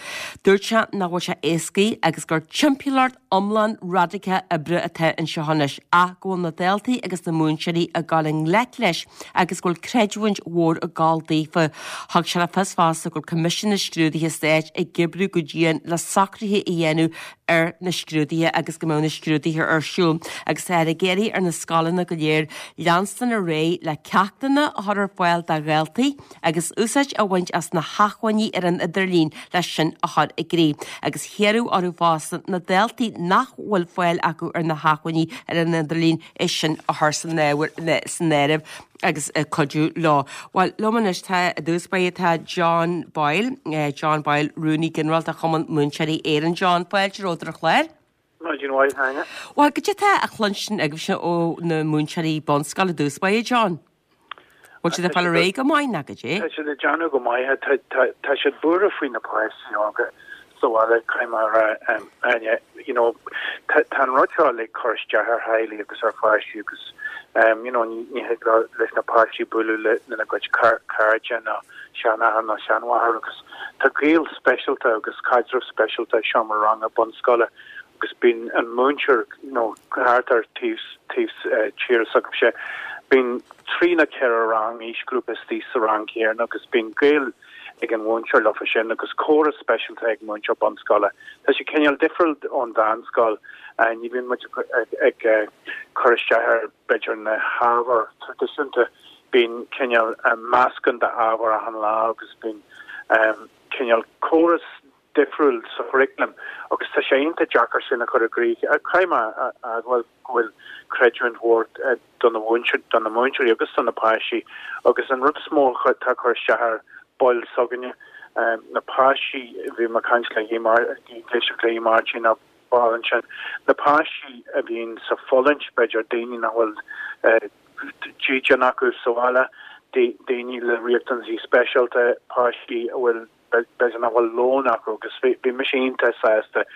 Dúirt sé nach bhfuil sé éascaí agus gur timpeallacht iomlán radacach oibre atá anseo anois ach go bhfuil na daltaí agus na múinteoirí ag dul i ngleic leis agus go bhfuil creidiúint mhór ag gabháil daofa. Thug sé le fios fosta go bhfuil Coimisiún na Scrúduithe Stáit ag oibriú go dian le socruithe a dhéanamh ar na scrúduithe agus go mbeadh na scrúduithe ar siúl agus táthar ag iarraidh ar na scoileanna go léir leanstan ar aghaidh le ceachtanna a chur ar fáil do dhaltaí agus úsáid a bhaint as na hacmhainní ar an idirlíon leis sin a chur i gcrích agus hiarradh orthu fosta na daltaí nach bhfuil fáil acu ar na hacmhainní ar an idirlíon é sin a chur san áireamh agus cuidiú leo. Bhuel, liom anois tá i dtús báire tá John Boyle, John Boyle, Rúnaí Ginearálta Chumann Múinteoirí Éireann. John, fáilte romhat ar an chlár. Maidin mhaith, Áine. Bhuel, cad é atá á chluinstin agaibhse ó na múinteoirí bunscoile i dtús báire, John? Bhfuil siad ag fáil ar aghaidh go maith nó cad é? Tá siad ag déanamh go maith. Tá siad buartha faoi na páistí óga sa bhaile, caithfidh mé a rá, Áine. You know, tá an rud seo uilig ag cur isteach ar theaghlaigh agus ar pháistí agus, you know, ní thig leis na páistí bualadh lena gcuid cairde ná seanathair ná seanmháthair agus tá gaol speisialta agus caidreamh speisialta i seomra ranga bunscoile agus bíonn an múinteoir you know thart ar taobh taobh tíre s'agaibhse, bíonn trí nó ceithre rang aoisghrúpa istigh sa rang céanna agus bíonn gaol. ag an mhúinteoir leofa sin agus córas speisialta ag múinteoir bunscoile. Tá sé cineál difriúil ón mheánscoil, ní bhíonn muid ag cur isteach ar b'fhéidir na hábhair traidisiúnta, bíonn cineál meascán d'ábhair achan lá agus bíonn cineál córas difriúil sa churaclam agus tá sé iontach deacair sin a chur i gcrích. Caithfidh mé a admháil go bhfuil creidiúint mhór do na do na múinteoirí agus do na páistí agus an rud is mó atá ag cur isteach ar baill s'againne, na páistí, bhí mé ag caint le ag éisteacht le Máirtín ar ball ansin, na páistí a bhíonn sa fulaingt, b'fhéidir, daoine nach bhfuil dídean acu sa bhaile, daoine le riachtanaisí speisialta, páistí a bhfuil b'fhéidir nach bhfuil lón acu agus bhí mise iontach sásta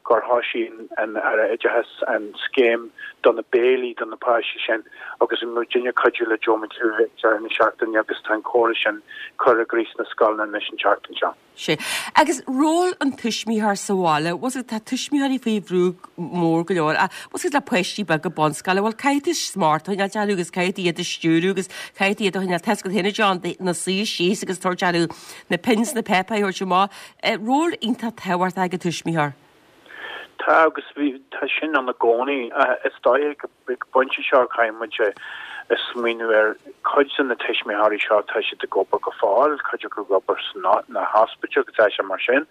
gur thoisigh an Aire Oideachais an scéim do na béilí do na páistí sin agus bhí muidinne ag cuidiú le Joe McHugh ag deireadh na seachtaine agus tá an córas sin curtha i gcrích sna scoileanna anois an tseachtain seo. Sea. Agus ról an tuismitheoir sa bhaile, bhfuil 's agat, tá tuismitheoirí faoi bhrú mór go leor, bhfuil 's agat le páistí beaga bunscoile, bhuel caithfidh tú smacht a choinneáil orthu agus caithfidh tú iad a stiúradh agus caithfidh tú iad a choinneáil, tá 's agat féin a John, ina suí síos agus tabhairt orthu na pinn 's na páipéir a thabhairt amach. Ról iontach tábhachtach ag an tuismitheoir. Tá agus bhí, tá sin ann i gcónaí. Is dóigh ag an bpointe seo caithfidh muid a smaoineamh ar cuid de na tuismitheoirí seo, tá siad ag obair go fóill, cuid acu ag obair sna hospidéil agus tá sé mar sin,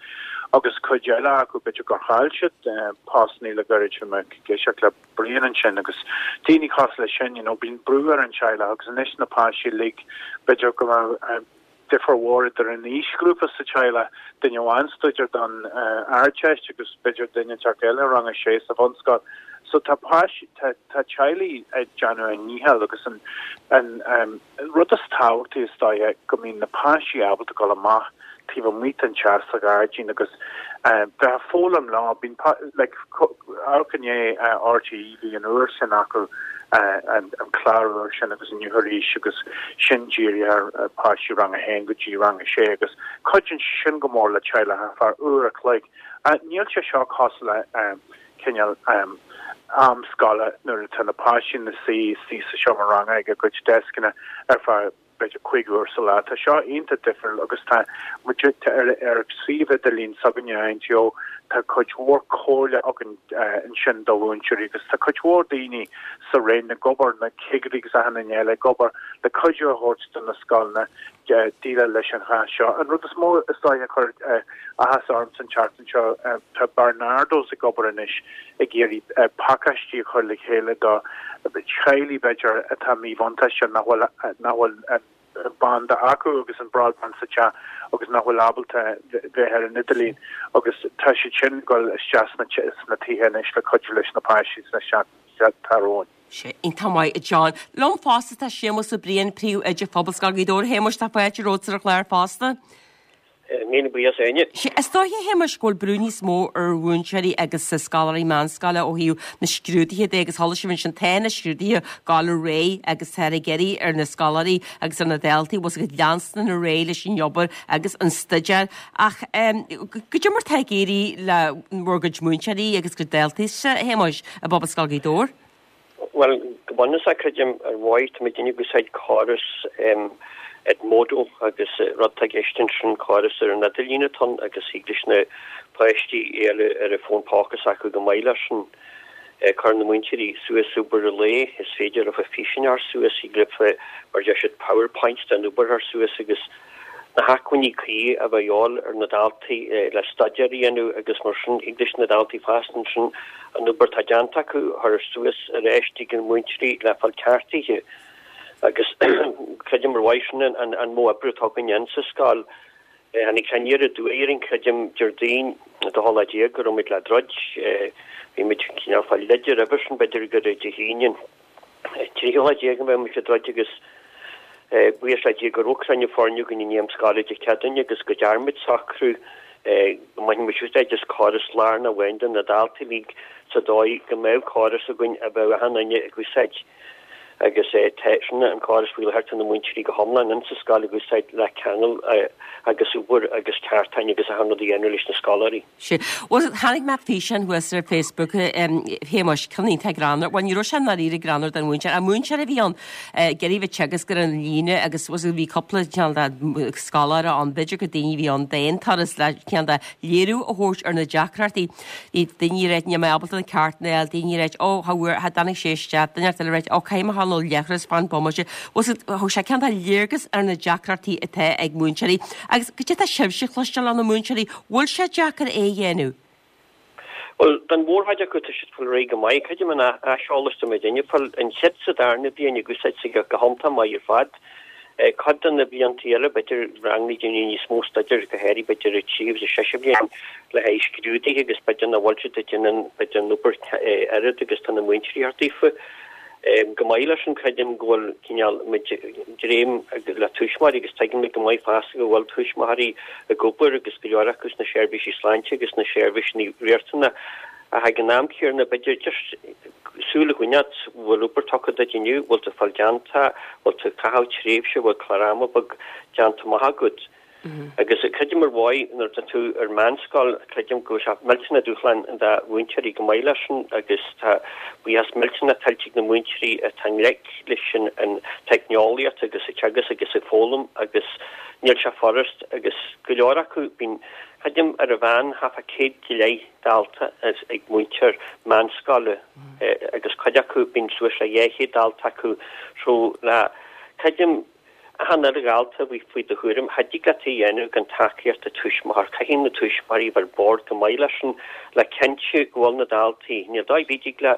agus cuid eile acu b'fhéidir gur chaill siad postanna le gairid, bhí mé ag éisteacht le Brian ansin agus daoine cosúil leis sin, you know, bíonn brú ar an teaghlach agus anois na páistí uilig b'fhéidir go mbeadh difear mhór idir an aoisghrúpa sa teaghlach, duine amháin ag staidéar don Ardteist agus b'fhéidir duine inteacht eile i rang a sé sa bhunscoil. So tá páistí, tá tá teaghlaigh ag déanamh a ndícheall agus an an rud is tábhachtaí is dóiche go mbíonn na páistí ábalta dul amach taobh amuigh den teach sa ghairdín agus bheith ag foghlaim leo. Bíonn like amharc inné RTÉ bhí an uair sin acu an clár úr sin agus inniu arís agus sin dírithe ar pháistí rang a haon go dtí rang a sé agus cuidíonn sé sin go mór le teaghlach ar feadh uair a chloig. Níl sé seo cosúil le cineál am scoile nuair atá na páistí ina suí istigh sa seomra ranga ag a gcuid deascanna ar feadh b'fhéidir 5 uair sa lá. Tá seo iontach difriúil agus tá muid ar ar suíomh idirlín s'againne INTO, tá cuid mhór comhairle againn ansin do mhúinteoirí agus tá cuid mhór daoine sa Roinn ag obair, na cigirí agus achan duine eile ag obair le cuidiú a thabhairt do na scoileanna déileáil leis an chás seo. An rud is mó is dóiche a chuir áthas ormsa an tseachtain seo, tá Barnardo's ag obair anois ag iarraidh pacáistí a chur le chéile do theaghlaigh b'fhéidir atá míbhuntáiste nach bhfuil nach bhfuil an banda acu agus an broadband sa teach agus nach bhfuil ábalta bheith ar an idirlíon agus tá siad sin ag dul isteach sna sna tithe anois le cuidiú leis na páistí sna seachtainí atá romhainn. Sea, iontach maith, a John. Liom fosta tá Séamus Ó Briain, Príomhoide Phobalscoil Ghaoth Dobhair. A Shéamuis, tá fáilte romhat ar an chlár fosta. Míle buíochas a Áine. Sea, is dóiche, a Shéamuis, go bhfuil brú níos mó ar mhúinteoirí agus scoláirí meánscoile ó thaobh na scrúduithe de agus chuala sibh ansin, tá na scrúduithe ag gabháil ar aghaidh agus táthar ag iarraidh ar na scoláirí agus ar na daltaí, bhfuil 's agat, leanstan ar aghaidh leis an obair agus an staidéar. Ach goidé mar tá ag éirí le bhur gcuid múinteoirí agus gcuid daltaí, a Shéamuis, i bPobalscoil Ghaoth Dobhair? Bhuel, go bunúsach, creidim ar mhaith, tá muidinne ag úsáid córas Edmodo agus rud atá i gceist ansin, córas ar an idirlíon atá ann agus thig leis na páistí é a fháil ar an bhfón póca s'acu go maith leis sin. Cuireann na múinteoirí suas obair an lae, is féidir leofa físeáin a chur suas, thig leofa, mar a deir siad, PowerPoints den obair a chur suas agus na hacmhainní cuí a bheith a dhíobháil ar na daltaí le staidéar a dhéanamh agus mar sin thig leis na daltaí fosta ansin an obair atá déanta acu a chur suas ar ais chuig na múinteoirí le fáil ceartaithe agus creidim ar mhaith sin an modh oibre atá againn insa scoil. Tháinig sé aniar aduaidh orainn creidim Déardaoin an dóú lá déag go raibh muid le druid. Bhí muid cineál fáil leide roimhe sin b'fhéidir gur Dé hAoine an 13ú lá a bheadh muid ag druid agus buíochas le Dia go raibh cruinniú foirne againn i ndiaidh am scoile Dé Céadaoine agus go dtearn muid socrú go mbainfeadh muid úsáid as córas lárnach amháin do na daltaí uilig sa dóigh go mbeadh córas againn a bheadh achan duine ag úsáid. Agus tá sin an córas faoi láthair, tá na múinteoirí go hiomlán in sa scoil ag úsáid le ceangal agus obair agus ceartáin agus achan rud a dhéanamh leis na scoláirí. Sea. Bhuel, chonaic mé físeán thuas ar Facebook, a Shéamuis, ceann iontach greannmhar. Bhuel, ní raibh sé i ndáiríre greannmhar don mhúinteoir. Ach múinteoir a bhí ann, ag iarraidh bheith ag teagasc ar an líne agus bhuel, bhí cúpla cineál de scoláire ann, b'fhéidir gur daoine a bhí ann d'aon turas le cineál de léiriú a thabhairt ar na deacrachtaí. Bhí daoine ag ráit, níl mé ábalta na ceartanna a fháil, daoine ag ráit, ó, cha bhfuair, cha dtáinig sé isteach, duine eile ag ráit, ó, caithfidh mé a ghabháil nó leithreas, fan bomaite. Bhuel, thug sé cineál de léargas ar na deacrachtaí atá ag múinteoirí. Agus cad é atá sibhse a chloisteáil ó na múinteoirí, bhfuil sé deacair é a dhéanamh? Bhuel, don mhórchuid acu tá siad ag fáil ar aghaidh go maith. Creidim an aiseolas atá muidinne ag fáil, an chéad sa darna bliain ag úsáid sa go hiontach maith ar fad. Cuid de na blianta eile, b'fhéidir ranganna déanamh níos mó staidéir, go háirithe b'fhéidir an tríú agus an séú bliain le haghaidh scrúduithe agus b'fhéidir nach bhfuil siad ag déanamh b'fhéidir an obair oiread agus tá na múinteoirí thart daofa. Go maith leis sin, creidim go bhfuil cineál muid dréim le tuismitheoirí agus tuigimid go maith fosta go bhfuil tuismitheoirí ag obair agus go leor acu sna seirbhísí sláinte agus sna seirbhísí riachtanacha ach ag an am céanna b'fhéidir just súil a choinneáil, bhfuil obair tugtha duit inniu, bhfuil tú ag fáil déanta, bhfuil tú ag caitheamh tréimhse, bhfuil clár ama beag déanta amach agat. Agus creidim ar mhaith nuair atá tú ar meánscoil, creidim go bhfuil sé millteanach dúshlán do mhúinteoirí go maith leis sin agus tá buíochas millteanach tuillte ag na múinteoirí atá i ngleic leis an teicneolaíocht agus ag teagasc agus ag foghlaim agus níl sé furast agus go leor acu bíonn creidim ar an mheán thart fá 100 go leith dalta ag múinteoir meánscoile agus cuid acu bíonn suas le 200 dalta acu so le creidim Achan uile dhalta a bhí faoi do chúram, cha dtig leat é a dhéanamh gan tacaíocht an tuismitheoir. Caithfidh na tuismitheoirí a bheith ar bord go maith leis sin le cinntiú go bhfuil na daltaí, níl dóigh ar bith a dtig le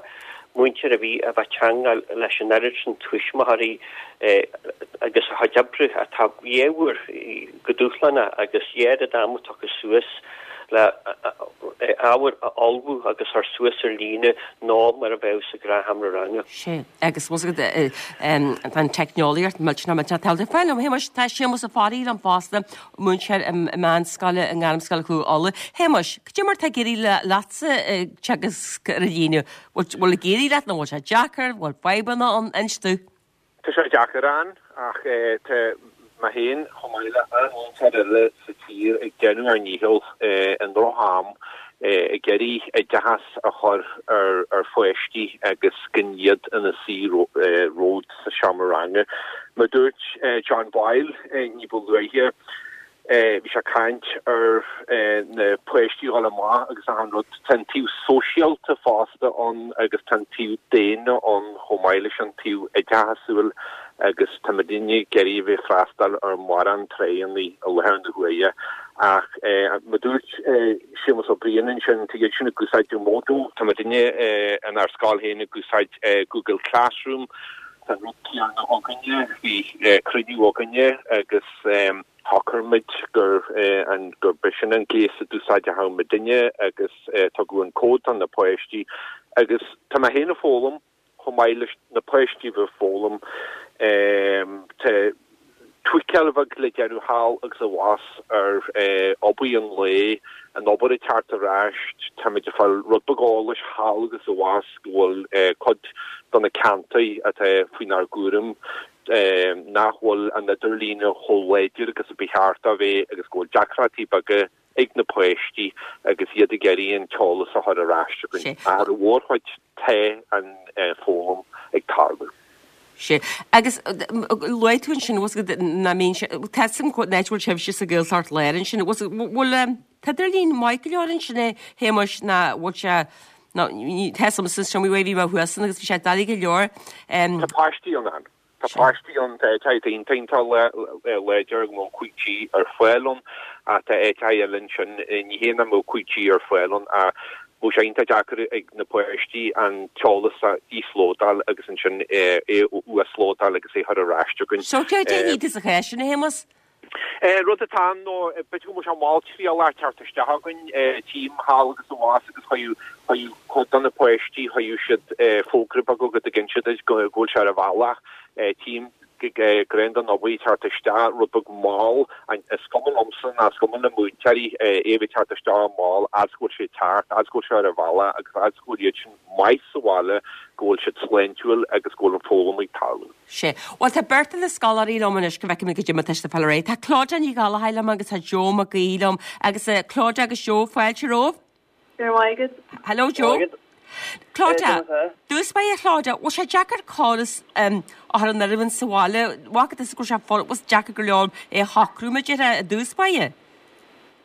múinteoir ar bith a bheith ag teangmháil leis an oiread sin tuismitheoirí agus a chuid oibre atá dhá uair chomh dúshlánach agus dhá oiread ama tugtha suas le ábhar a ullmhú agus a chur suas ar líne ná mar a bheadh sa ghnáthsheomra ranga. Sea. Agus bhfuil a fhios agat, tá an teicneolaíocht millteanach millteanach tábhachtach. Fáil liom, Shéamuis, tá Séamus Ó Fearraigh liom fosta, múinteoir i meánscoile i nGairmscoil Chú Uladh. Shéamuis, cad é mar atá ag éirí leatsa ag teagasc ar an líne? Bhfuil ag éirí leat nó bhfuil sé deacair? Bhfuil fadhbanna ann? Inis domh. Tá sé deacair ann ach tá mé féin chomh maith le an-mhúinteoir eile sa tír ag déanamh ár ndícheall i ndroch-am ag iarraidh oideachas a chur ar pháistí agus gan iad ina suí romhat sa seomra ranga. Mar a dúirt John Boyle ní ba luaithe, bhí sé ag caint ar na páistí a dhul amach agus achan rud. Tá an taobh sóisialta fosta ann agus tá an taobh daonna ann chomh maith leis an taobh oideachasúil agus tá muidinne ag iarraidh a bheith ag freastal ar mhórán tráigheanna i láthair na huaire. Ach mar a dúirt Séamus Ó Briain ansin, tá iad sin ag úsáid Edmodo, tá muidinne inár scoil féin ag úsáid Google Classroom, tá an rud céanna againne, bhí cruinniú againne agus shocraigh muid gur an gurb é sin an gléas a d'úsáidfeadh muidinne agus tugadh an cód do na páistí agus tá mé féin ag foghlaim chomh maith leis na páistí a bheith ag foghlaim. Tá tweakáil bheag le déanamh thall agus abhus ar obair an lae, an obair ag teacht ar ais, táimid ag fáil rud beag eolais thall agus abhus go bhfuil cuid de na ceantair atá faoinár gcúram nach bhfuil an idirlíne chomh láidir agus a ba cheart dó bheith agus go bhfuil deacrachtaí beaga ag na páistí agus iad ag iarraidh an t-eolas a chur ar ais chugainn. Ach ar an mhórchuid tá an foghlaim ag tarlú. Sea. Agus luaigh tú ansin, bhfuil a fhios agat, nach mbíonn sé, tá a fhios agam an áit a bhfuil sibhse sa Ghaeltacht Láir ansin, bhfuil an t-idirlíon maith go leor ansin a Shéamuis nó bhfuil sé, nó tá a fhios agamsa, sin bhí mé thuas ann agus bhí sé doiligh go leor. Tá paistí ann. Tá páistí ann, tá áiteacha iontach iontach láidir go bhfuil 5G ar fáil ann ach tá áiteacha eile ansin, ní hé nach mbeadh 5G ar fáil ann ach bheadh sé iontach deacair ag na páistí an t-eolas a íoslódáil agus ansin é a uaslódáil agus é a chur ar ais chugainn. So céard é ní sa chás sin, a Shéamuis? Rud atá ann nó b'fhéidir go mbeadh sé malltriallach teacht isteach chugainn, tchím thall agus abhus agus chuireadh cuid de na páistí, chuireadh siad fógra beag go dtuigeann siad go bhfuil sé ar a bhealach. Tchím. ag den obair ag teacht isteach rud beag mall. Is cuma liomsa ná is cuma le múinteoirí é a bheith ag teacht isteach mall, fhad is go bhfuil sé ag teacht, fhad is go bhfuil sé ar an bhealach agus fhad is go bhfuil iad sin maith sa bhaile, go bhfuil siad sláintiúil agus go bhfuil an foghlaim ag tarlú. Sea. Bhuel, tá beirt de na scoláirí liom anois go bhfeicfidh mé goidé mar atá siad ag fáil ar aghaidh. Tá Clodagh Ní Ghallchóir liom agus tá Joe Mac Aoidh liom. Agus Clodagh agus Joe, fáilte romhaibh. Go raibh maith agat. Hello Joe. Clodagh, dtús báire a Chlodagh, bhfuil sé deacair córas a chur in oiriúint sa bhaile? Bhfaca tusa go raibh sé bhfuil sé deacair go leor é a shocrú mar a déarfá i dtús báire?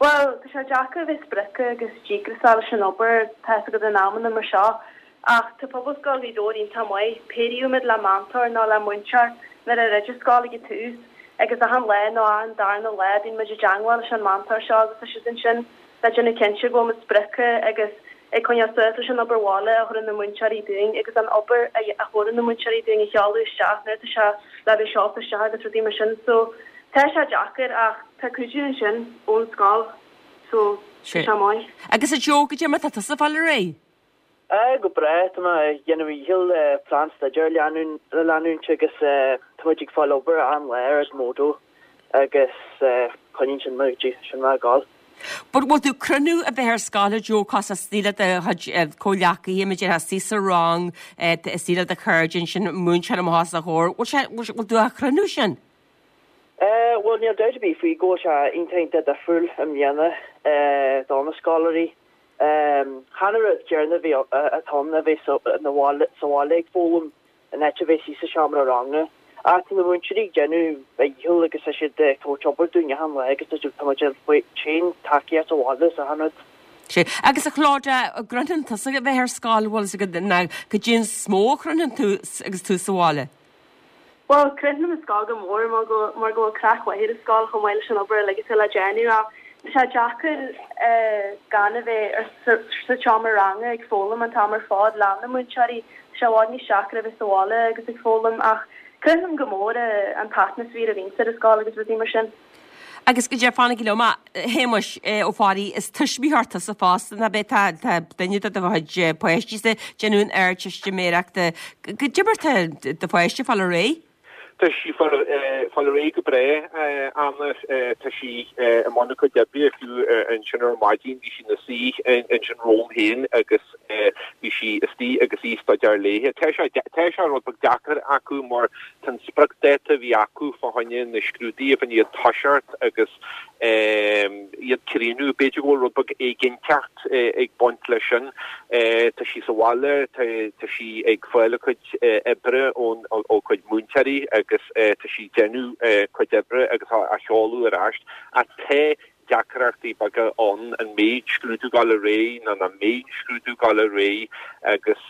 Bhuel, tá sé deacair a bheith sprioctha agus díograiseach leis an obair, tá fhios agat in amanna mar seo. Ach tá Pobalscoil Ghaoth Dobhair iontach maith. Péiríodh muid le meantóir nó le múinteoir nuair a dhruid an scoil ag an tús agus achan lá nó achan darna lá bíonn muid i dteangmháil leis an meantóir seo agus tá siad ansin le déanamh cinnte go bhfuil muid sprioctha agus ag coinneáil suas leis an obair bhaile a chuireann na múinteoirí dúinn agus an obair a chuireann na múinteoirí dúinn a sheoladh isteach nuair atá sé le bheith seolta isteach agus rudaí mar sin. So tá sé deacair ach tá cuidiú ansin ón scoil so tá sé maith. Agus a Joe, goidé mar atá tusa ag fáil ar aghaidh? Aye, go breá. Tá mé ag déanamh mo dhícheall plean staidéir a leanúint agus tá muid ag fáil obair achan lá ar Edmodo agus coinníonn sin mé, sin mé ag gabháil. But bhfuil tú ag cronú a bheith ar scoil a Joe cos istigh le do chuid comhghleacaithe, mar a déarfá istigh sa rang, istigh le do chairde ansin, múinteoir amach os do chomhair, bhfuil sé, bhfuil tú á chronú sin? Bhuel níl dabht ar bith faoi go bhfuil sé iontach iontach difriúil i mbliana do na scoláirí. Chan an rud céanna a bhí atá ann a bheith sa bhaile ag foghlaim in áit a bheith istigh sa seomra ranga. Ach tá na múinteoirí ag déanamh a ndícheall agus tá siad ag tabhairt obair dúinn achan lá agus tá muid ag fáil tacaíocht sa bhaile is achan rud. Sea. Agus a Chlodagh, an gcronaíonn tusa a bheith ar scoil, bhfuil fhios agat, nó goidé an is mó a chronaíonn tú agus tú sa bhaile? Bhuel, cronaím an scoil go mór mar go mar go bhfuil craic mhaith ar an scoil chomh maith leis an obair uilig atá le déanamh ach tá sé deacair gan a bheith ar sa seomra ranga ag foghlaim an t-am ar fad le na múinteoirí. Tá sé i bhfad níos deacra a bheith sa bhaile agus ag foghlaim ach cronaím go mór an t-atmaisféar a bhíonns ar an scoil agus rudaí mar sin. Agus goidé, fanaigí liom, a Shéamuis Ó Fearraigh, is tuismitheoir tusa fosta, nach ea? Tá, tá duine de do chuid páistí ag déanamh an Ardteistiméireachta. Goidé mar tá do pháiste ag fáil ar aghaidh? Tá sí ag fáil ar aghaidh go breá, Anna. Tá sí i mbun a cuid oibre, fiú ansin ar maidin bhí sí ina suí ansin romham féin agus bhí sí istigh agus í ag staidéar léithe. Tá sé, tá sé rud beag deacair acu mar Tá an spriocdháta a bhí acu fá choinne na scrúduithe, fá choinne iad toiseacht agus iad críochnú, b'fhéidir go bhfuil rud beag éiginnteacht ag baint leis sin. Tá sí sa bhaile, tá sí ag fáil a cuid oibre ón ó cuid múinteoirí agus tá sí ag déanamh cuid oibre agus á sheoladh ar ais. Ach tá deacrachtaí beaga ann, an mbeidh scrúdú ag gabháil ar aghaidh nó nach mbeidh scrúdú ag gabháil ar aghaidh agus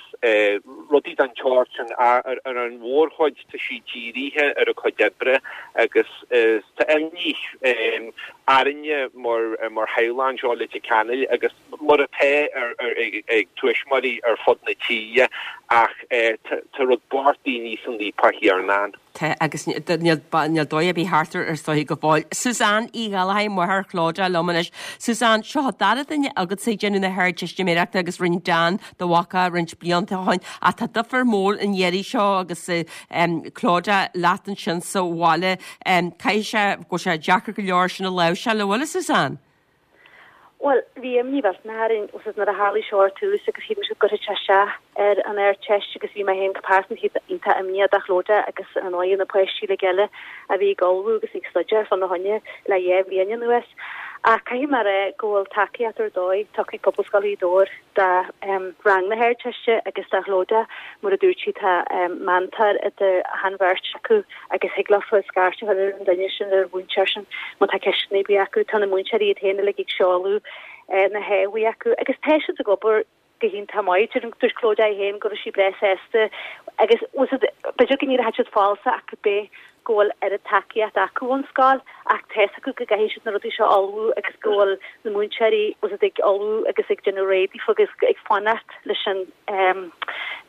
rudaí den tsórt sin. Ar an mhórchuid tá sí dírithe ar a cuid oibre agus tá imní orainne mar theaghlach anseo i Leitir Ceanainn agus mar atá ag tuismitheoirí ar fud na tíre ach tá rud bocht daoine san fhaopach chéanna ann. Tá, agus níl dóigh ar bith thart air is dóiche go fóill. Suzanne Uí Ghallchóir, máthair Chlodagh liom anois. Suzanne, seo an dara duine agatsa ag déanamh na hArdteistiméireachta agus rinne Dan do mhac é roinnt blianta ó shin. Ach tá duifear mór an iarraidh seo agus Clodagh leat ansin sa bhaile. Caithfidh sé go bhfuil sé deacair go leor sin a láimhseáil, an bhfuil, a Suzanne? Bhuel, bhí imní mhillteanach orainn agus nuair a tharlaigh seo ar tús agus shíl muid go gcuirfeadh sé isteach ar an Ardteist agus bhí mé féin go pearsanta iontach imníoch do Chlodagh agus ar ndóigh na páistí uilig eile a bhí ag ullmhú agus ag staidéar fána choinne le dhá bhliain anuas. Ach caithfidh mé a rá go bhfuil tacaíocht ar dóigh tugtha ag Pobalscoil Ghaoth Dobhair do rang na hArdteiste agus do Chlodagh. Mar a dúirt sí tá meantóir idir achan bheirt acu. agus thig leofa scairt a chur ar an duine sin, ar an mhúinteoir sin, má tá ceisteanna ar bith acu. Tá na múinteoirí iad féin uilig ag seoladh na hábhair acu agus tá siad ag obair go hiontach maith. Dúirt Clodagh í féin go raibh sí breá sásta agus b'fhéidir go n-éireoidh siad follasach ach cibé go bhfuil oiread tacaíocht acu ón scoil ach tá fhios acu go gcaithfidh siad na rudaí seo a ullmhú agus go bhfuil na múinteoirí ag ullmhú agus ag déanamh réidh daofa agus ag fanacht leis an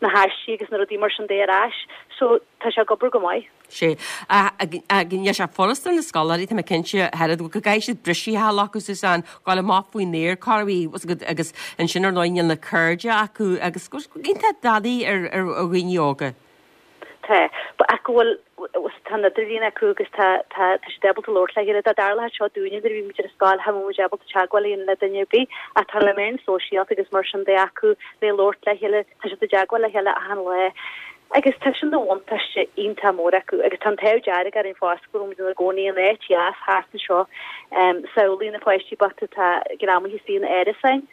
na haistí agus na rudaí mar sin de ar ais. So Tá sé ag obair go maith. Sea. Níl sé furasta ar na scoláirí, tá mé cinnte, go gcaithfidh siad briseadh a fháil acu, Suzanne, gabháil amach faoin aer, corruair, agus ansin ar ndóigh níl na cairde acu agus iontach doiligh ar dhaoine óga. Tá. Tá. Ach go bhfuil, tá an idirlíon acu agus tá, tá, tá siad ábalta labhairt le chéile. Dá dtarlódh seo dúinne nuair a bhí muid ar an scoil, cha mbeadh muid ábalta teagmháil a dhéanamh le duine ar bith. Ach tá na meáin sóisialta agus mar sin de acu le labhairt le chéile, tá siad i dteagmháil le chéile achan lá. Agus tá sin de bhuntáiste iontach mór acu. Agus tá an t-ádh dearg orainn fosta go bhfuil muid inár gcónaí in áit dheas thart anseo. Samhlaigh na páistí bochta atá greamaithe istigh in árasáin.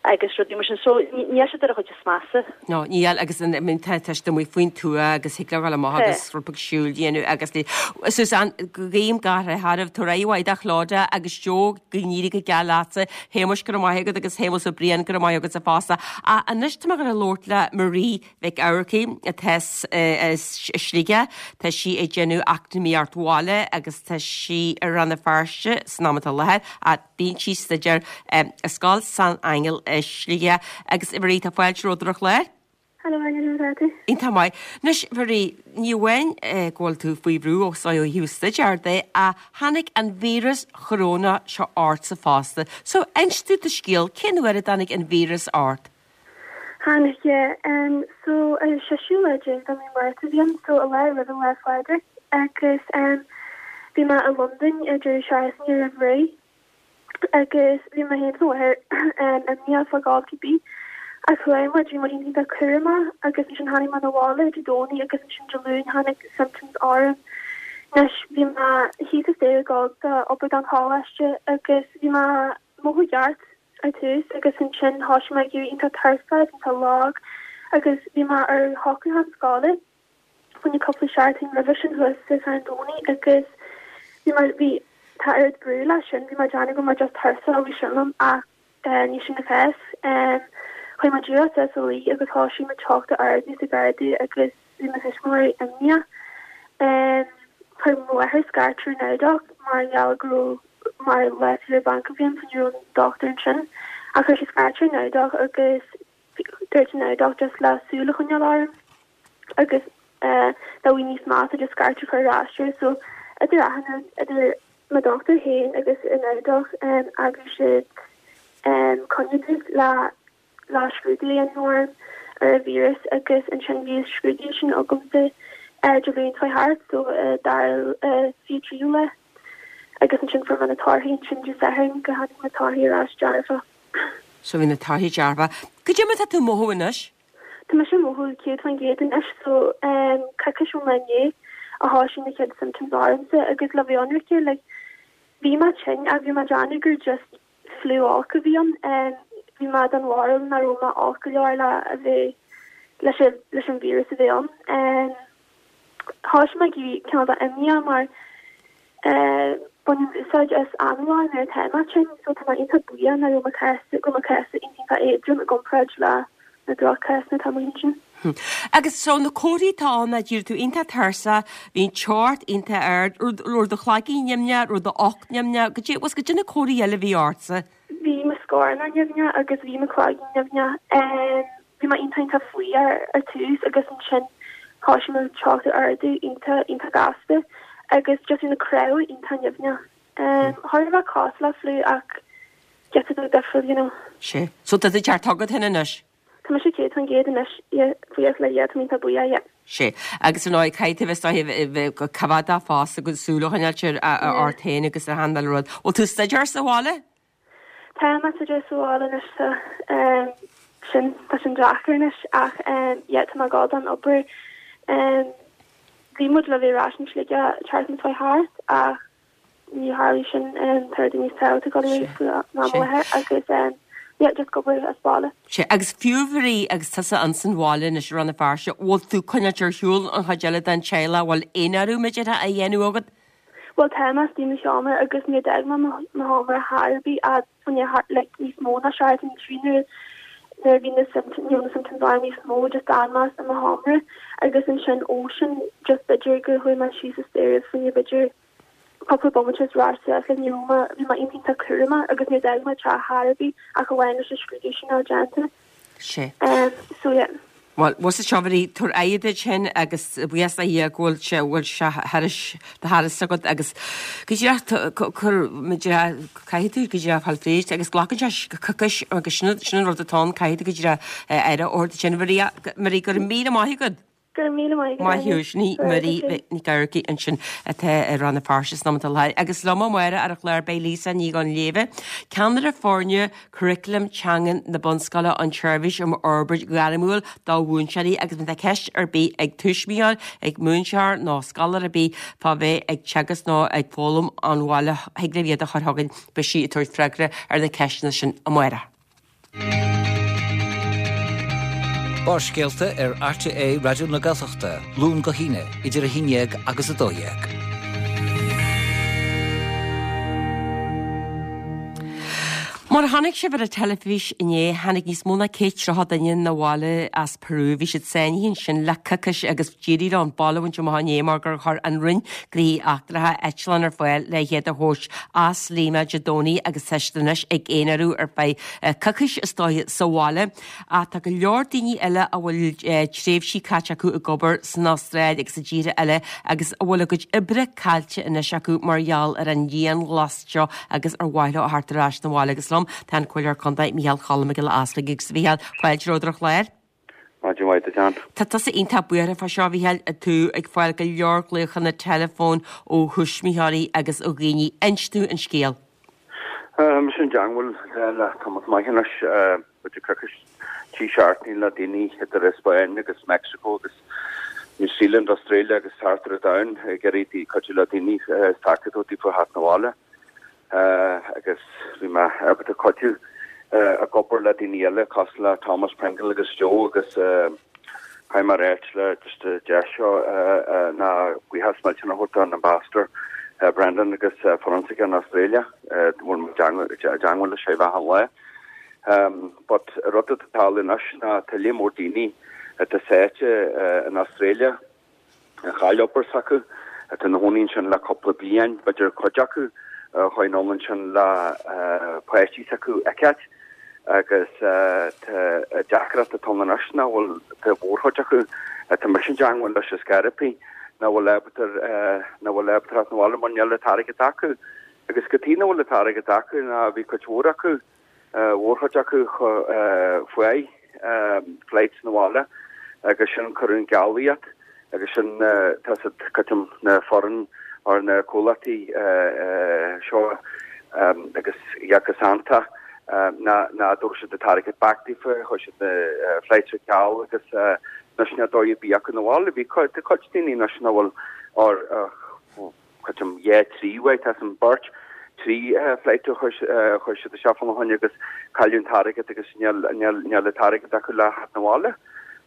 agus rudaí mar sin. So, níl siad ar an chuid is measa. No, níl agus I mean tá tá siad amuigh faoin tuath agus thig leo dhul amach agus rud beag siúil a dhéanamh agus ní Susan, guím gach rath oraibh, tabhair aghaidh mhaith do Chlodagh agus Joe, go n-éirí go geal leatsa, Shéamuis go raibh maith agat agus Shéamus Ó Briain go raibh maith agatsa fosta. Ach anois tá mé ag dul a labhairt le Marie Mhic Eamharcaigh atá i Sligeach, tá sí ag déanamh eacnamaíocht bhaile agus tá sí i Rann na Feirste san am atá i láthair ach Bíonn sí ag staidéar i Scoil San Aingeal i Sligeach. Agus a Mharie, tá fáilte romhat ar an chlár. Hello Áine, conas tá tú? Iontach maith. Anois, Mharie, ní amháin go bhfuil tú faoi bhrú ó thaobh staidéir de, ach tháinig an víreas chorónach seo ortsa fosta. So, inis dúinn do scéal, cén uair a dtáinig an víreas ort? Tháinig, yeah. Um, so, an seisiú lá déag de mí Márta a bhí ann, so an lá roimh an Lá Phádraig, agus um, bhí mé i Londain ar deireadh seachtaine roimh ré, agus bhí mé féin is mo mháthair um, imníoch fá ghabháil cibé, ach chuaigh muid, bhí muid iontach cúramach, agus ansin tháinig mé 'na bhaile Dé Domhnaigh agus ansin Dé Luain tháinig symptoms orm. Anois, bhí mé thíos an staighre ag gabháil do obair don choláiste agus bhí mé mothú ceart ar tús agus ansin thoisigh mé ag éirí iontach tuirseach agus iontach lag agus bhí mé ar shocrúchán scoile fá choinne cúpla seachtain roimhe sin thuas sa Charn Domhnaigh agus bhí mé, bhí, tá oiread brú leis sin, bhí mé ag déanamh go raibh mé just tuirseach bhí sin liom ach ní sin an cás. Chuaigh mé díreach suas a luí agus thoisigh mo teocht a ardú is ag ardú agus bhí mo thuismitheoirí imníoch. Chuir mo mháthair scairt ar an Namhdach mar gheall go raibh mar lá saoire bainc a bhí ann so ní raibh an dochtúir ansin. Ach chuir sí scairt ar an Namhdach agus dúirt an Namhdach just le súil a choinneáil orm agus dá bhí níos measa just scairt a chur ar ais air. So idir achan rud, idir mo dochtúir féin agus an Namhdach, eagraigh siad coinne domh le le scrúdú a dhéanamh orm ar an víreas agus ansin bhí an scrúdú sin agamsa ar Dé Luain seo thart so dara 23ú lá agus ansin fuair mé na torthaí ansin Dé Sathairn go tháinig na torthaí ar ais dearfach. So bhí na torthaí dearfach. Cad é mar tá tú ag mothú anois? Tá mise ag mothú 100% anois so coicís ón lá inné a thoisigh na chéad symptoms ormsa agus le bheith ionraice like bhí mé tinn ach bhí mé ag déanamh gur just fliú olc a bhí ann. Bhí mé den bharúil nach raibh mé olc go leor le a bheith leis an leis an víreas a bheith ann. Thoisigh mé ag éirí cineál de imníoch mar bainim úsáid as análóir nuair atá mé tinn so tá mé iontach buíoch nach raibh mo chás go raibh mo chás iontach éadrom i gcomparáid le na droch-chásanna atá amuigh ansin. Agus so na comharthaí atá ann ná d'éirigh tú iontach tuirseach, bhí an teocht iontach ard, raibh do chloigeann nimhneach, raibh d'ucht nimhneach, goidé, bhfuil 's goidé na comharthaí eile a bhí ortsa? Bhí mo scornach nimhneach agus bhí mo chloigeann nimhneach. Bhí mé iontach iontach fuar ar tús agus ansin thoisigh mo teocht a ardú iontach iontach gasta agus just bhí na cnámha iontach nimhneach. Thar a bheith cosúil le fliú ach giota beag difriúil, you know. Sea. So tá an ceart agat féin anois? Tá mise 100% anois, yeah, buíochas le Dia, tá mé iontach buíoch, yeah. Sea. Agus ar ndóigh, caithfidh tú a bheith is dóiche a bheith go coimheádach fosta agus súil a choinneáilt ort féin agus ar achan uile rud. Bhfuil tú ag staidéar sa bhaile? Tá mé ag staidéar sa bhaile anois, tá. Sin, tá sin deacair anois ach yeah, tá mé ag gabháil don obair. Bhí muid le bheith ar ais in Sligeach tseachtain seo thart ach ní tharlaigh sin tá rudaí níos tábhachtaí ag dul ar aghaidh faoi am i láthair agus yeah just ag obair as baile. Sea, agus fiú Mharie agus tusa ins an bhaile anois i Rann na Feirste, bhfuil tú ag coinneáilt ar shiúl an chuid eile den teaghlach, bhfuil aon athrú b'fhéidir á dhéanamh agat? Bhuel tá mé istigh i mo sheomra agus níor d'fhág mé mo sheomra chor ar bith ach fá choinne like níos mó ná seachtain trí nuair nuair a bhí na symptoms you know na symptoms orm níos mó just d'fhan mé i mo sheomra agus ansin ó sin just b'fhéidir gur chuaigh mé síos an staighre fá choinne b'fhéidir cúpla bomaite is ar ais suas like ní raibh mé bhí mé iontach iontach cúramach agus níor d'fhág mé teach chor ar bith ach amháin leis an scrúdú sin a déanta. Sea. Um so yeah. Bhuel, bhuel seo Mharie, tabhair aghaidh duit féin agus buíochas le Dia go bhfuil sé, bhfuil sé thairis, do thairis agat agus go díreach cur, caithfidh tú go díreach fáil fríd agus glacann sé coicís agus sin, sin an rud atá ann, caithfidh tú go díreach aire a thabhairt duit féin. Marie, Marie, go raibh míle maith agat. Go raibh míle maith agat, Maith thú, sin í Marie Nic Eamharcaigh ansin atá i Rann na Feirste san am atá i láthair. Agus liom amárach ar an chlár beidh Lisa Ní Dhonnléibhe, ceannaire foirne Curriculum Teangan na Bunscoile an tSeirbhís um Fhorbairt Ghairmiúil do Mhúinteoirí agus má tá ceist ar bith ag tuismitheoir, ag múinteoir nó scoláire ar bith fá bheith ag teagasc nó ag foghlaim ón bhaile thig libh iad a chur chugainn, beidh sí ag tabhairt freagra ar na ceisteanna sin amárach. Barrscéalta ar RTÉ Raidió na Gaeltachta, Luan go hAoine, idir 11 agus 12. Mar a chonaic sibh ar an teilifís inné, tháinig níos mó ná 130 duine 'na bhaile as Peru. Bhí siad sáinnithe ansin le coicís agus d'éirigh leo an baile a bhaint amach inné mar gur chuir an Roinn Gnóthaí Eachtracha eitleán ar fáil le hiad a thabhairt as Lima Dé Domhnaigh agus tá siad anois ag aonarú ar feadh coicís is dóiche sa bhaile. Ach tá go leor daoine eile a bhfuil tréimhsí caite acu ag obair san Astráil agus i dtíortha eile agus a bhfuil a gcuid oibre caillte anois acu mar gheall ar an dianghlas seo agus ar mhaith leo a theacht ar ais 'na bhaile. Agus liom tá an Comhairleoir Contae Micheál Cholm Mac Giolla Easbuig agus a Mhichíl, fáilte romhat ar an chlár. Maidin mhaith duit Ann. Tá tusa iontach buartha fá seo, a Mhichíl, tú ag fáil go leor glaochanna teileafóin ó thuismitheoirí agus ó dhaoine. Inis dúinn an scéal. Tá mise i dteangmháil le tamall maith anois, b'fhéidir coicís, trí seachtainí le daoine idir an Spáinn agus Mexico agus New Zealand, Australia agus thart ar an domhan ag iarraidh cuidiú le daoine is tacaíocht a thabhairt daofa theacht 'na bhaile. agus bhí mé ábalta cuidiú ag obair le daoine eile cosúil le Thomas Pringle agus Joe agus caithfidh mé a ráit le just an deis seo ná buíochas millteanach a thabhairt don Ambassador Brendan agus foireann s'aige in Australia bhfuil mé i dteangmháil leis achan lá. But rud atá ag tarlú anois ná tá líon mór daoine atá sáite in Australia a chaill obair s'acu, atá ina chónaí ansin le cúpla bliain, b'fhéidir cuid acu a chuaigh anall ansin le páistí s'acu a fheiceáilt agus tá deacracht atá ann anois nach bhfuil tá mhórchuid acu atá mise i dteangmháil leis ar scor ar bith nach bhfuil ábalta nach bhfuil ábalta theacht 'na bhaile mar níl an t-airgead acu agus cad chuige nach bhfuil an t-airgead acu ná bhí cuid mhór acu mhórchuid acu fuair flights 'na bhaile agus sin cuireadh an geallraíocht agus sin tá siad creidim na foireann or na comhlachtaí seo agus go sannta ná ná dtabharfadh siad an t-airgead back daofa chuir siad na flights ar ceal agus anois níl dóigh ar bith acu 'na bhaile bhí cuid daoine anois nach bhfuil or creidim dhá trí uair tá san beirt trí flight a chuir siad isteach fána choinne agus cailleadh an t-airgead agus níl níl an t-airgead acu le theacht 'na bhaile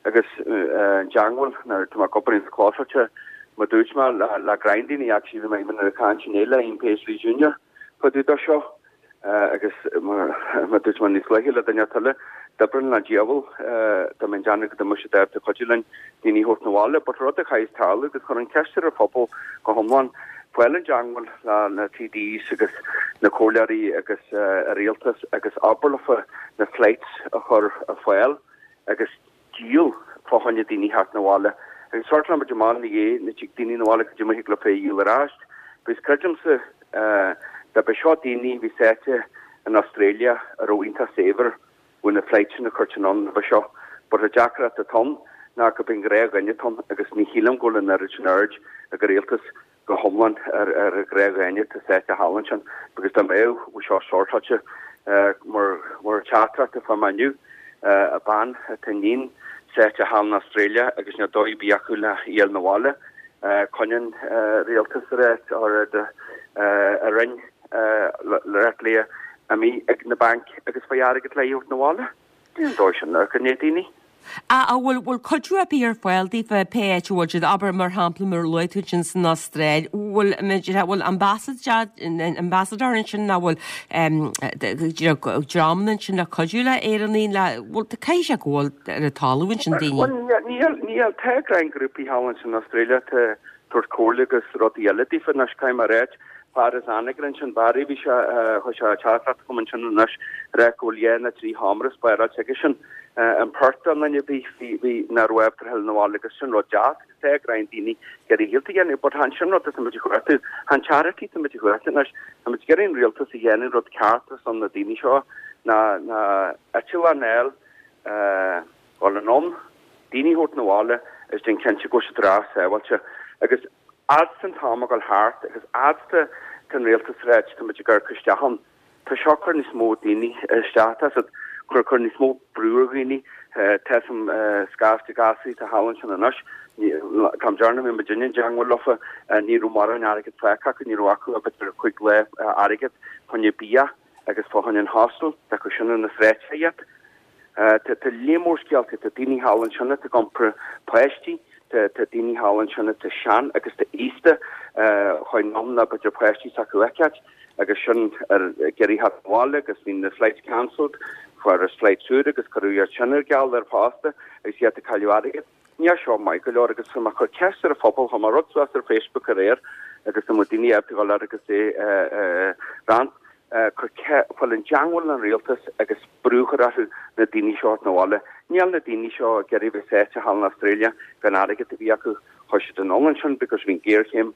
agus an dteangmháil nuair tá mé ag obair ins closailte mar dúirt mé le le greim daoine actually bhí mé even ag caint inné le Ian Paisley Junior fá dtaobh de seo Agus mar a dúirt mé níos luaithe le duine eile, d'oibreoinn le diabhal dá mbeinn déanamh go mbeadh siad ábalta cuidiú linn daoine a thabhairt 'na bhaile. But rud a chaithfeas tarlú agus chur an cheist ar an phobal go hiomlán, fáil i dteangmháil le na TDs agus na comhairleoirí agus an rialtas agus abair leofa na flights a chur ar fáil agus díol fá choinne daoine theacht 'na bhaile. Agus sortálann muid amach ina dhiaidh na dtig daoine 'na bhaile cad é mar thig leofa é a dhíol ar ais. Because creidimse dá mba seo daoine a bhí sáite in Australia a raibh iontach saibhir bheadh na flights sin a chuirt anonn roimhe seo. But an deacracht atá ann ná go b'in gnáthdhuine atá ann agus ní shílim go bhfuil an oiread sin aird ag an rialtas go hiomlán ar an ghnáthdhuine atá sáite thall ansin because dá mbeadh bheadh seo sortáilte mar mar teachtaireacht a fuair mé inniu a bean atá iníon sáite thall in Australia agus níl dóigh ar bith acu le í a fháil 'na bhaile coinneann rialtas ar ar a roinn le le imithe ag na bainc agus faigh airgead le í a thabhairt 'na bhaile. Níl an dóigh sin ar go daoine. An bhfuil bhfuil cuidiú ar bith ar fáil daofa pé áit a bhfuil siad, abair mar shampla mar a luaigh tú ansin san Astráil, bhfuil bhfuil ambassador ansin nó bhfuil dreamanna ansin le cuidiú le Éireannaigh le bhfuil caithfidh sé go bhfuil ar an talamh ansin daoine. Bhuel níl níl tá greim grúpaí thall ansin in Australia tá tabhairt comhairle agus rudaí eile daofa anois caithfidh mé a ráit fear as Anagaire ansin Barry bhí sé chuir sé teachtaireacht chugam ansin anois ag rá go bhfuil dhá nó trí sheomra spáráilte aigesean in Perth don duine a bhí bhí nach raibh ábalta a theacht 'na bhaile agus sin rud deas agus tá greim daoine ag iarraidh a shaolta a dhéanamh but chan sin rud atá muid ag cuartú chan charity atá muid ag cuartú anois tá muid ag iarraidh an rialtas a dhéanamh rud ceart ar son na daoine seo ná ná eitleán a fháil dhul anonn daoine a thabhairt 'na bhaile. is déan cinnte go bhfuil siad ar ais sábháilte. Agus fhad 's an t-am ag dul thart agus fhad 's tá an rialtas ag ráit tá muid ag amharc isteach ann, tá seo ag cur níos mó daoine isteach, tá siad ag cur níos mó brú ar dhaoine, tá some scaifte gasúir atá thall ansin anois, an t-am deireanach a bhí muidinne i dteangmháil leofa, ní raibh mórán airgead fágtha acu, ní raibh acu ach b'fhéidir chúig lá airgead fá choinne bia agus fá choinne an hostel, tá acu sin ar na sráideanna iad. Tá líon mór scéalta, tá daoine thall ansin atá ag iompar páistí, tá daoine thall ansin atá sean agus tá aosta, chuaigh anonn le b'fhéidir páistí s'acu a fheiceáilt agus sin ag iarraidh theacht abhaile agus bhí na flights cancelled, fuarthas flights úr agus cuireadh iad sin ar ceal ar fosta agus iad ag cailleadh airgid. Níl seo maith go leor agus tá mé ag cur ceist ar an phobal, chuir mé rud suas ar Facebook aréir agus tá mo daoine ábalta dhul air agus é a roinnt, cur fáil i dteangmháil leis an rialtas agus brú a chur orthu na daoine seo a thabhairt 'na bhaile. Níl na daoine seo ag iarraidh bheith sáite thall in Australia gan airgead a bhí acu, chuaigh siad anonn ansin because bhí an géarchéim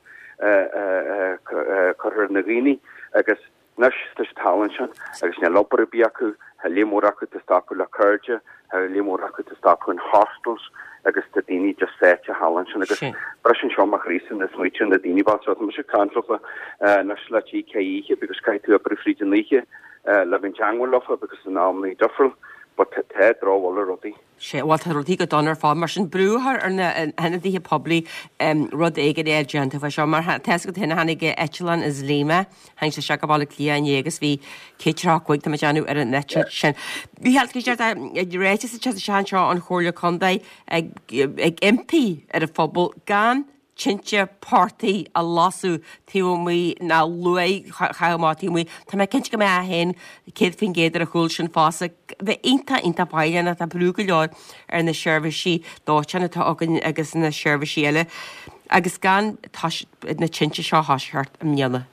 curtha ar na dhaoine agus Anois tá siad thall ansin agus níl obair ar bith acu, tá líon mór acu atá stopadh le cairde, tá líon mór acu atá stopadh in hostels agus tá daoine just sáite thall ansin agus briseann seo mo chroí-sa nuair a smaoiním ar na daoine bochta seo. Tá mise ag caint leofa anois le trí ceithre oíche because caithfidh tú oibriú fríd an oíche le bheith i dteangmháil leofa because an amannaí difriúil but tá drochbhail ar rudaí. Sea, bhuel tá rudaí go dona ar fad, mar sin brú a chur ar na hionadaithe poiblí rud éigin a fháil déanta fá seo. Mar tá fhios agat féin, tháinig eitleán as Lima, tháinig sé isteach go Baile Átha Cliath inné agus bhí 135, tá mé ag déanamh, ar an eitilt sin. Mícheál, tá ráiteas ag teacht isteach anseo ón Chomhairle Contae ag impí ar an phobal gan tinte portaigh a lasadh taobh amuigh ná luaith a chaitheamh amach taobh amuigh. Tá mé cinnte go mbeifeá féin 100% ar a chúl sin fosta. Bheith iontach, iontach faichilleach, tá brú go leor ar na seirbhísí dóiteáin atá againn agus na seirbhísí eile agus gan na tinte seo a thoiseacht i mbliana.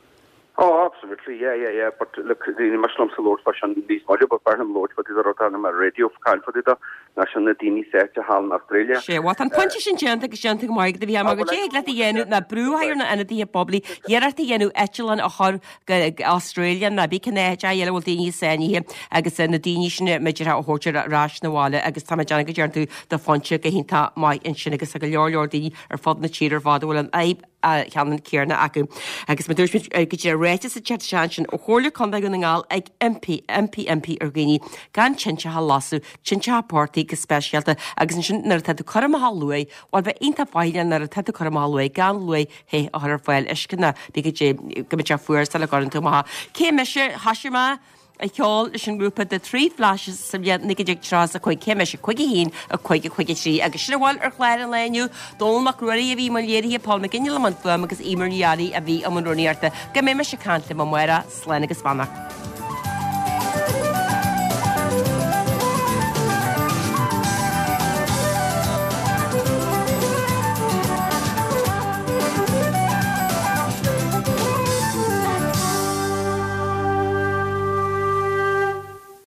Oh, absolutely, yeah, yeah, yeah, but look, ní miste liomsa labhairt fá sin níos moille, but b'fhearr liom labhairt fá dtaobh de rud ar an raidió caint fá dtaobh de, ná sin na daoine sáite thall in Australia. Sea, bhuel, tá an pointe sin déanta agus déanta go maith agat, a Mhícheáil, mar goidé thig leat a dhéanamh ná brú a chur ar na hionadaithe poiblí, iarracht a dhéanamh eitleán a chur go Australia ná bí cén áit eile a bhfuil daoine sáinnithe agus na daoine sin b'fhéidir a thabhairt ar ais 'na bhaile agus tá mé ag déanamh go dtearn tú do phointe go hiontach maith ansin agus tá go leor leor daoine ar fud na tíre ar fad a bhfuil an fhadhb cheannann céanna acu. Agus mar dúirt muid go dtí ráiteas ag teacht isteach ansin ó Chomhairle Contae Dhún na nGall ag impí, impí, impí ar dhaoine gan tinteacha a lasadh, tinteacha portaigh go speisialta agus ansin nuair atá tú ag cur amach an luaith, bhuel bheith iontach faichilleach nuair atá tú ag cur amach an luaith gan luaith the a chur ar fáil uisce ná bí go dtí go mbeidh sé fuar sula gcuireann tú amach. Cé mise? Thoisigh mé ag ceol leis an ngrúpa The Three Flashes sa bhliain 1935, cé mise? 51, 5, 53 agus sin a bhfuil ar chlár an lae inniu. Dónall Mac Ruairí a bhí i mbun léirithe, Paul McGinley i mbun fuaime agus Eimear Ní Fhearraigh a bhí i mbun rúnaíochta. Go mbeidh mise ag caint libh amárach, slán agus beannacht.